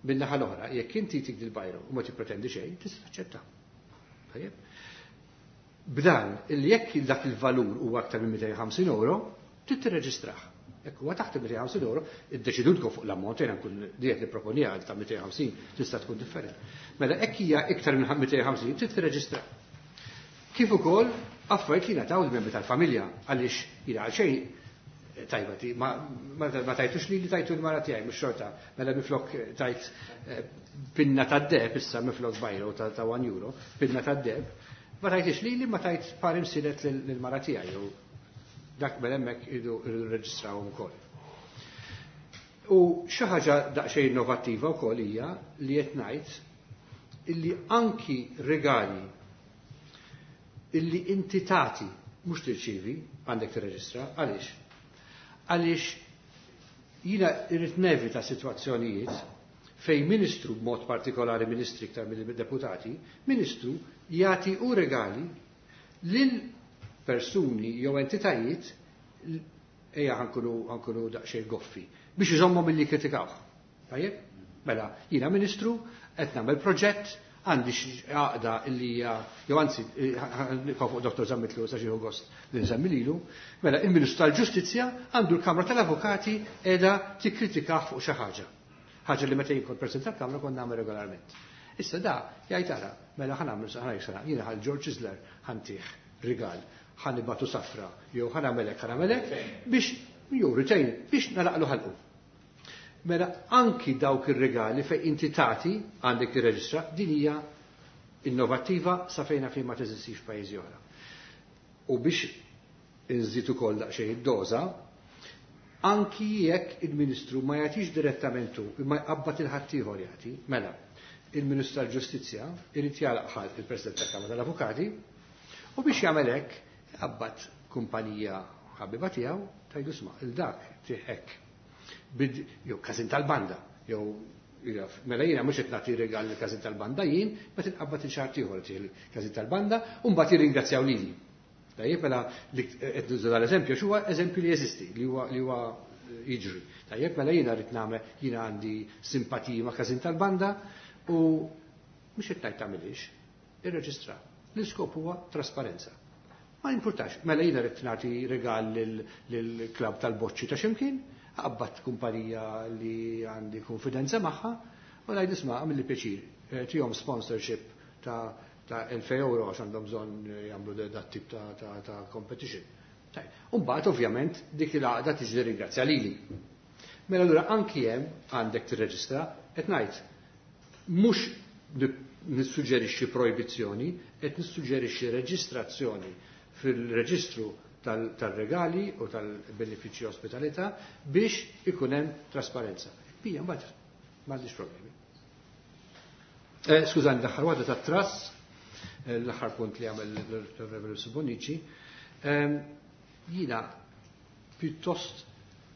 Min-naħa l-oħra, jekk inti tik dil-bajro u ma tippretendi xejn, tista' taċċetta. Tajjeb? B'dan, il jekk dak il-valur huwa aktar minn mitejn u ħamsin euro, trid tirreġistrah. Jekk huwa taħt mitejn u ħamsin euro, iddeċidutkom fuq l-ammont, jiena nkun diet nipproponija ta' mitejn u ħamsin tista' tkun differenti. Mela hekk hija iktar minn mitejn u ħamsin trid tirreġistrah. Kif ukoll affarijiet li ngħataw il-membri tal-familja għaliex jiena għal xejn tajba ti, ma, ma, ma tajtux li li tajtu l-mara tiegħi mhux xorta, mela miflok tajt pinna tad-deheb issa miflok bajro ta' ta' one euro, pinna tad-deheb, ma tajtix li li ma tajt par imsilet lill-mara tiegħi u dak mela hemmhekk iridu rreġistrawhom ukoll. U xi ħaġa daqsxejn innovattiva wkoll hija li qed ngħid illi anki regali illi inti tagħti mhux tirċievi għandek tirreġistra, għaliex? Għaliex jiena irrid nevita sitwazzjonijiet fejn ministru, b'mod partikolari ministri iktar mill-deputati, ministru jagħti u regali lil persuni jew entitajiet, ejja ħankunu ħankunu daqsxejn goffi, biex iżommhom milli jikkritikawh. Tajjeb? Mela, jiena ministru, qed nagħmel proġett, għandi xi għaqda illi hija, jew anzi, nibqa' fuq Dottor Zammit Lewis għax jieħu gost li nsemmi lilu, mela il-Ministru tal-Ġustizzja għandu l-Kamra tal-Avukati qiegħda tikkritikah fuq xi ħaġa. Ħaġa li meta jien kont President tal-Kamra kont nagħmel regolarment. Issa da jgħid ara, mela ħa nagħmel ħa ngħid sena, jiena ħal George Chisler ħantih rigal, ħa nibgħatu safra, jew ħa nagħmel hekk, ħa nagħmel hekk, biex jew retain, biex nalaqlu ħalqu. Mela anki dawk ir-regali fejn inti tagħti għandek tirreġistra, din hija innovattiva sa fejn fejn ma teżistix f'pajjiżi oħra. U biex inżid ukoll daqsxejn id-doża, anki jekk il-Ministru ma jagħtix direttament hu, imma jqabbad il-ħaddieħor jagħti, mela il-Ministru tal-Ġustizzja irid jagħlaq ħalq il-President tal-Kamra tal-Avukati u biex jagħmel hekk jqabbad kumpanija ħabiba tiegħu tgħidu isma' il dak tih hekk. Bid, jew każin tal-banda, jew jaf, mela jiena mhux qed nagħti regal lil każin tal-banda jien, ma tinqabbad il xahar ieħor tih il-każin tal-banda u mbagħad jirringrazzjaw lili. Tajjeb, mela li qed nuża dal-eżempju x'huwa eżempju li jeżisti, li huwa li huwa jiġri. Tajjeb, mela jiena rrid nagħmel, jiena għandi simpatiji ma' każin tal-banda u mhux qed ngħid tagħmilix, irreġistra. L-iskop huwa trasparenza. Ma importax, mela jiena rrid nagħti regal lill-klabb tal-boċċi ta' x'imkien, qabbat kumpanija li għandi konfidenza magħha u ngħid isma' għamilli pjaċir, tihom sponsorship ta' ta' elfej euro għax għandhom bżonn jagħmlu dat tip ta', ta, ta' competition. U mbagħad ovvjament dik il-għaqda tiġi ringrazzja lili. Mela allura anki hemm għandek tirreġistra qed ngħid mhux nissuġġerixxi projbizzjoni, qed nissuġġerixxi reġistrazzjoni fil-reġistru tal-regali u tal-benefiċċji ospitalità biex ikun hemm trasparenza. Bija mbagħad m'għandix problemi. Eh, skużani, l-aħħar waħda tat-trass, l-aħħar punt li għamel l-Reverend Bonnici. Ehm, jiena pjuttost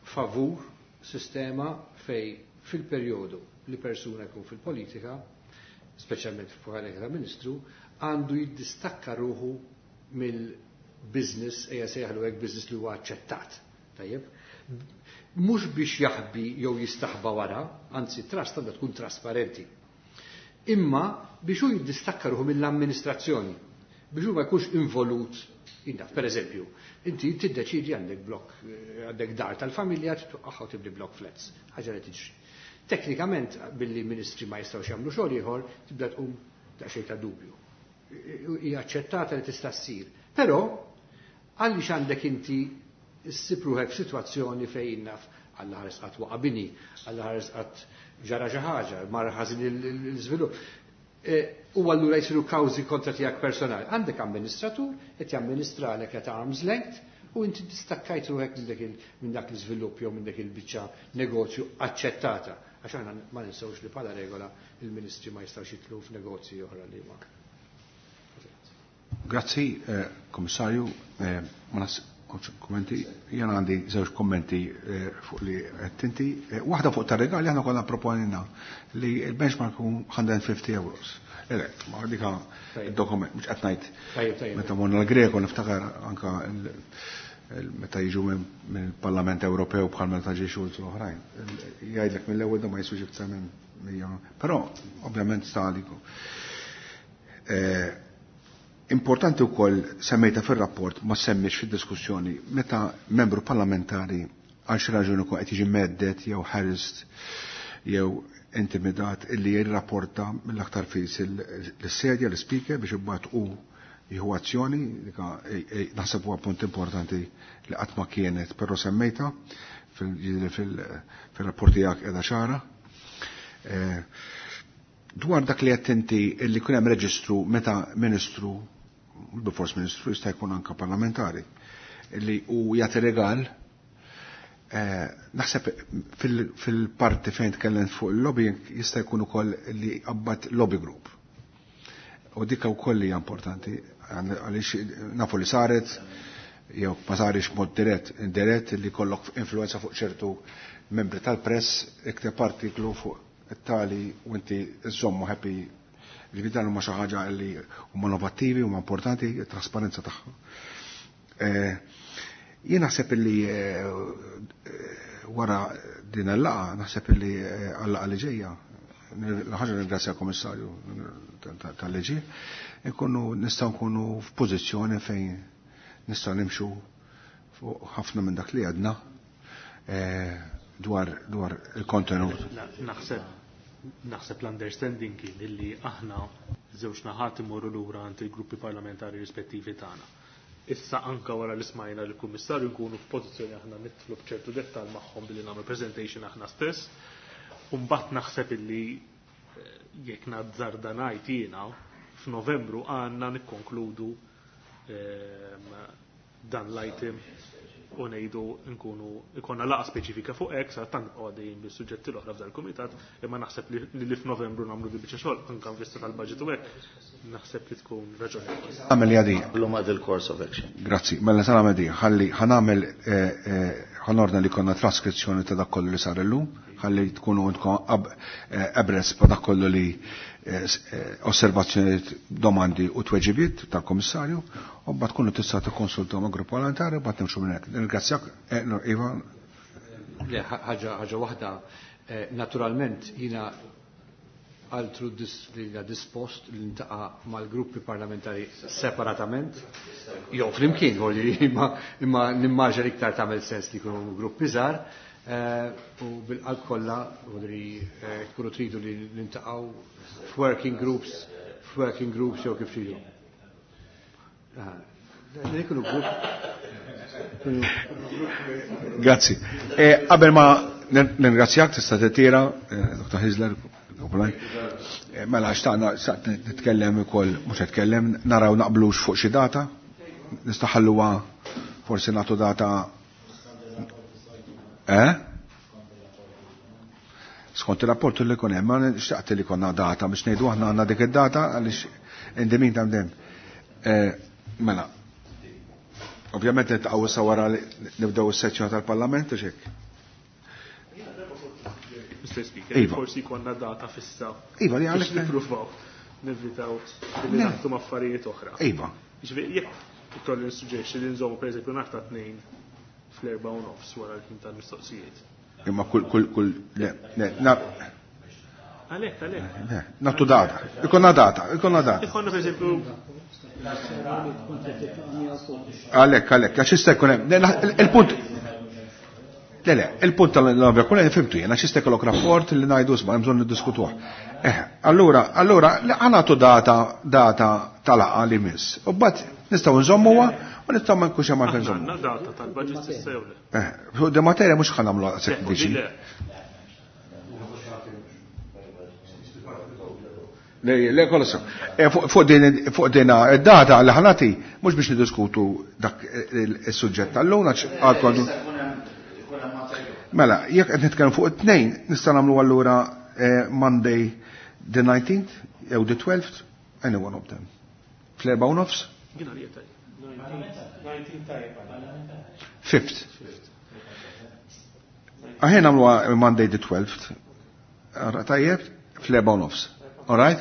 favur sistema fej fil-perjodu li persuna jkun fil-politika, speċjalment f'kariga ta' ministru, għandu jiddistakka ruħu mill-business, ejja sejħlu hekk business li huwa aċċettat. Tajjeb? Mhux biex jaħbi jew jistaħba wara, anzi trust għandha tkun trasparenti. Imma biex hu jiddistakka ruħu mill-amministrazzjoni, biex hu ma jkunx involut. Indaf, per eżempju, inti tiddeċidi għandek blok, għandek dar tal-familja, titwaqqaħ u tibni blok flats, ħaġa li tiġri. Teknikament, billi ministri ma jistgħux jagħmlu xogħol ieħor, tibda tqum daqsxejn ta' dubju. Hija aċċettata li tista' ssir. Però għaliex għandek inti ssib ruħek f'sitwazzjoni fejn naf Alla ħares qatt waqa' bini, Alla ħares qatt ġara xi ħaġa, mar ħażin l-iżvilupp. U allura jsiru kawżi kontra tiegħek personali. Għandek amministratur qed jamministralek at arm's length u inti distakkajt ruħek minn dak l-iżvilupp jew minn dak il-biċċa negozju aċċettata. Għax aħna ma ninsewx li bħala regola il-ministri ma jistgħux jitlu f'negozji oħra li ma. Grazzi, Komissarju, ma nas kommenti, jena għandi żewġ kommenti fuq li qed inti. Waħda fuq tar-regali aħna konna proponina li l-benchmark hu one hundred fifty euros. Ele, ma dika il-dokument, mhux qed ngħid. Meta morna l-Greko niftakar anka meta jiġu mill-Parlament Ewropew bħal meta ġie Schulz u oħrajn. Jgħidlek mill-ewwel da ma jiswix iktar minn mija. Però ovvjament sta għaliku. Importanti wkoll semmejta fir-rapport, ma semmix fid-diskussjoni, meta membru parlamentari għal xi raġuni jkun qed jiġi mhedded jew harassed jew intimidat, illi jirrapporta mill-aktar fis l-sedja, l-speaker, biex imbagħad u jieħu azzjoni. Naħseb huwa punt importanti li qatt ma kienet, però semmejta fil-rapport tiegħek, qiegħda ċara. Dwar dak li qed inti illi kun hemm reġistru meta ministru, bilfors ministru, jista' jkun anka parlamentari, li u jagħti regal, naħseb fil-parti fejn tkellem fuq il-lobbying jista' jkun ukoll li qabbat lobby group. U dikka wkoll hija importanti għaliex nafu li saret jew ma sarix mod dirett, indirett, li kollok influenza fuq ċertu membri tal-press, ikteb artiklu fuq it-tali u inti żommu happy. Ġifieri dan huma xi ħaġa li huma innovattivi, huma importanti, trasparenza tagħha. Jien naħseb li wara din il-laqgħa, naħseb li għal-laqgħa li ġejja, l-ħaġa ringrazzja l-Komissarju tal-liġi, nkunu nistgħu nkunu f'pożizzjoni fejn nistgħu nimxu fuq ħafna minn dak li għadna dwar dwar il-kontenut. Naħseb naħseb l-understanding kien illi aħna żewġ naħat imorru lura għand il-gruppi parlamentari rispettivi tagħna. Issa anka wara li smajna l kummissarju nkunu f'pożizzjoni aħna nidħlu b'ċertu dettal magħhom billi nagħmlu presentation aħna stess. U mbagħad naħseb illi jekk nazzarda ngħid jiena, f'Novembru għandna nikkonkludu dan l-item u ngħidu nkunu ikonna laqgħa speċifika fuq hekk, sa tant għaddejjin bis-suġġetti l-oħra f'dal kumitat, imma naħseb li li f'Novembru nagħmlu di biċċa xogħol anke vista tal-budget u hekk, naħseb li tkun raġonevoli. Għamel jadi. L-huma il-course of action. Grazzi, mela sa nagħmel di, ħalli ħa nagħmel ħa nordna li konna traskrizzjoni ta' dak kollu li sar illum, ħalli tkunu intkom abreast pa' dak kollu li osservazzjonijiet, domandi u tweġibiet tal-Komissarju, u mbagħad tkunu tista' tikkonsultaw ma' grupp parlamentari u mbagħad nimxu minn hekk. Ringrazzjak, Iva. Le, ħaġa ħaġa waħda, naturalment jiena altru dispost li niltaqa' mal-gruppi parlamentari separatament, jew flimkien, imma imma nimmaġina li iktar tagħmel sens li jkunu gruppi żgħar, u bil-qalb kollha li tkunu tridu li niltaqgħu f'working groups, f'working groups jew kif tridu. Li jkunu grupp. Grazzi. Qabel ma nirringrazzjak, tista' titira, Doktor Hyzler. Mela xtaqna nitkellem ukoll, mhux nitkellem, naraw naqblux fuq xi data. Nistaħalluha forsi nagħtu data. Eh? Skont il-rapport li kun hemm, ma xtaqt li konna data biex ngħidu aħna għandna dik id-data, għaliex indemin ta' dem. Mela. Ovvjament niltaqgħu issa wara li nibdew is-sezzjoni tal-Parlament u x'hekk. Mister Speaker, Iva. forsi konna data fissa. Iva, li Biex għalek. nippruvaw nevitaw li Le. naħtu affarijiet oħra. Iva. Ġifieri, jekk ikolli nissuġġerixxi li nżommu pereżempju nhar ta' tnejn fl-erba' u nofs wara l-ħin tal-mistoqsijiet. Imma kull, kull, kull, le, le, na, Għalhekk, għalhekk. le, nagħtu data. Ikonna data, ikonna data. Ikonna pereżempju Għalek, għalek, għax jista' jkun hemm. Le, la- Il-punt Le, le, il-punt tal-novja kull fhimtu jien, għax jista' jkollok rapport li ngħidu isma' hemm bżonn niddiskutuh. Eh, allura, allura, le, ħa nagħtu data, data tal-laqgħa li miss. U mbagħad nistgħu nżommuha u nistgħu ma nkunx hemm għalfejn aħna nżommu. għandna data tal-budget issa jew le. Eh, fuq di materja mhux ħa nagħmlu daqshekk Le, viċin. le. Le, le, kollu sew. Eh, Fuq fuq din fuq din id-data li ħa nagħti mhux biex niddiskutu dak il-suġġett tal-lum għax għadkom. Mela, jekk qed nitkellem fuq it-tnejn, nista' nagħmlu allura eh, Monday the nineteenth jew the twelfth, any one of them. Fl-erba' u nofs? Jien għalija tajjeb. Fifth. Aħjar nagħmlu Monday the twelfth. Ara, tajjeb, fl-erba' u nofs. All right?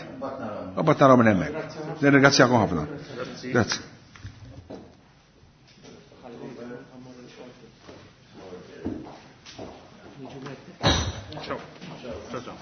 U mbagħad naraw minn hemmhekk. Nirringrazzjakom ħafna. Grazzi. Ciao. Ciao, ciao.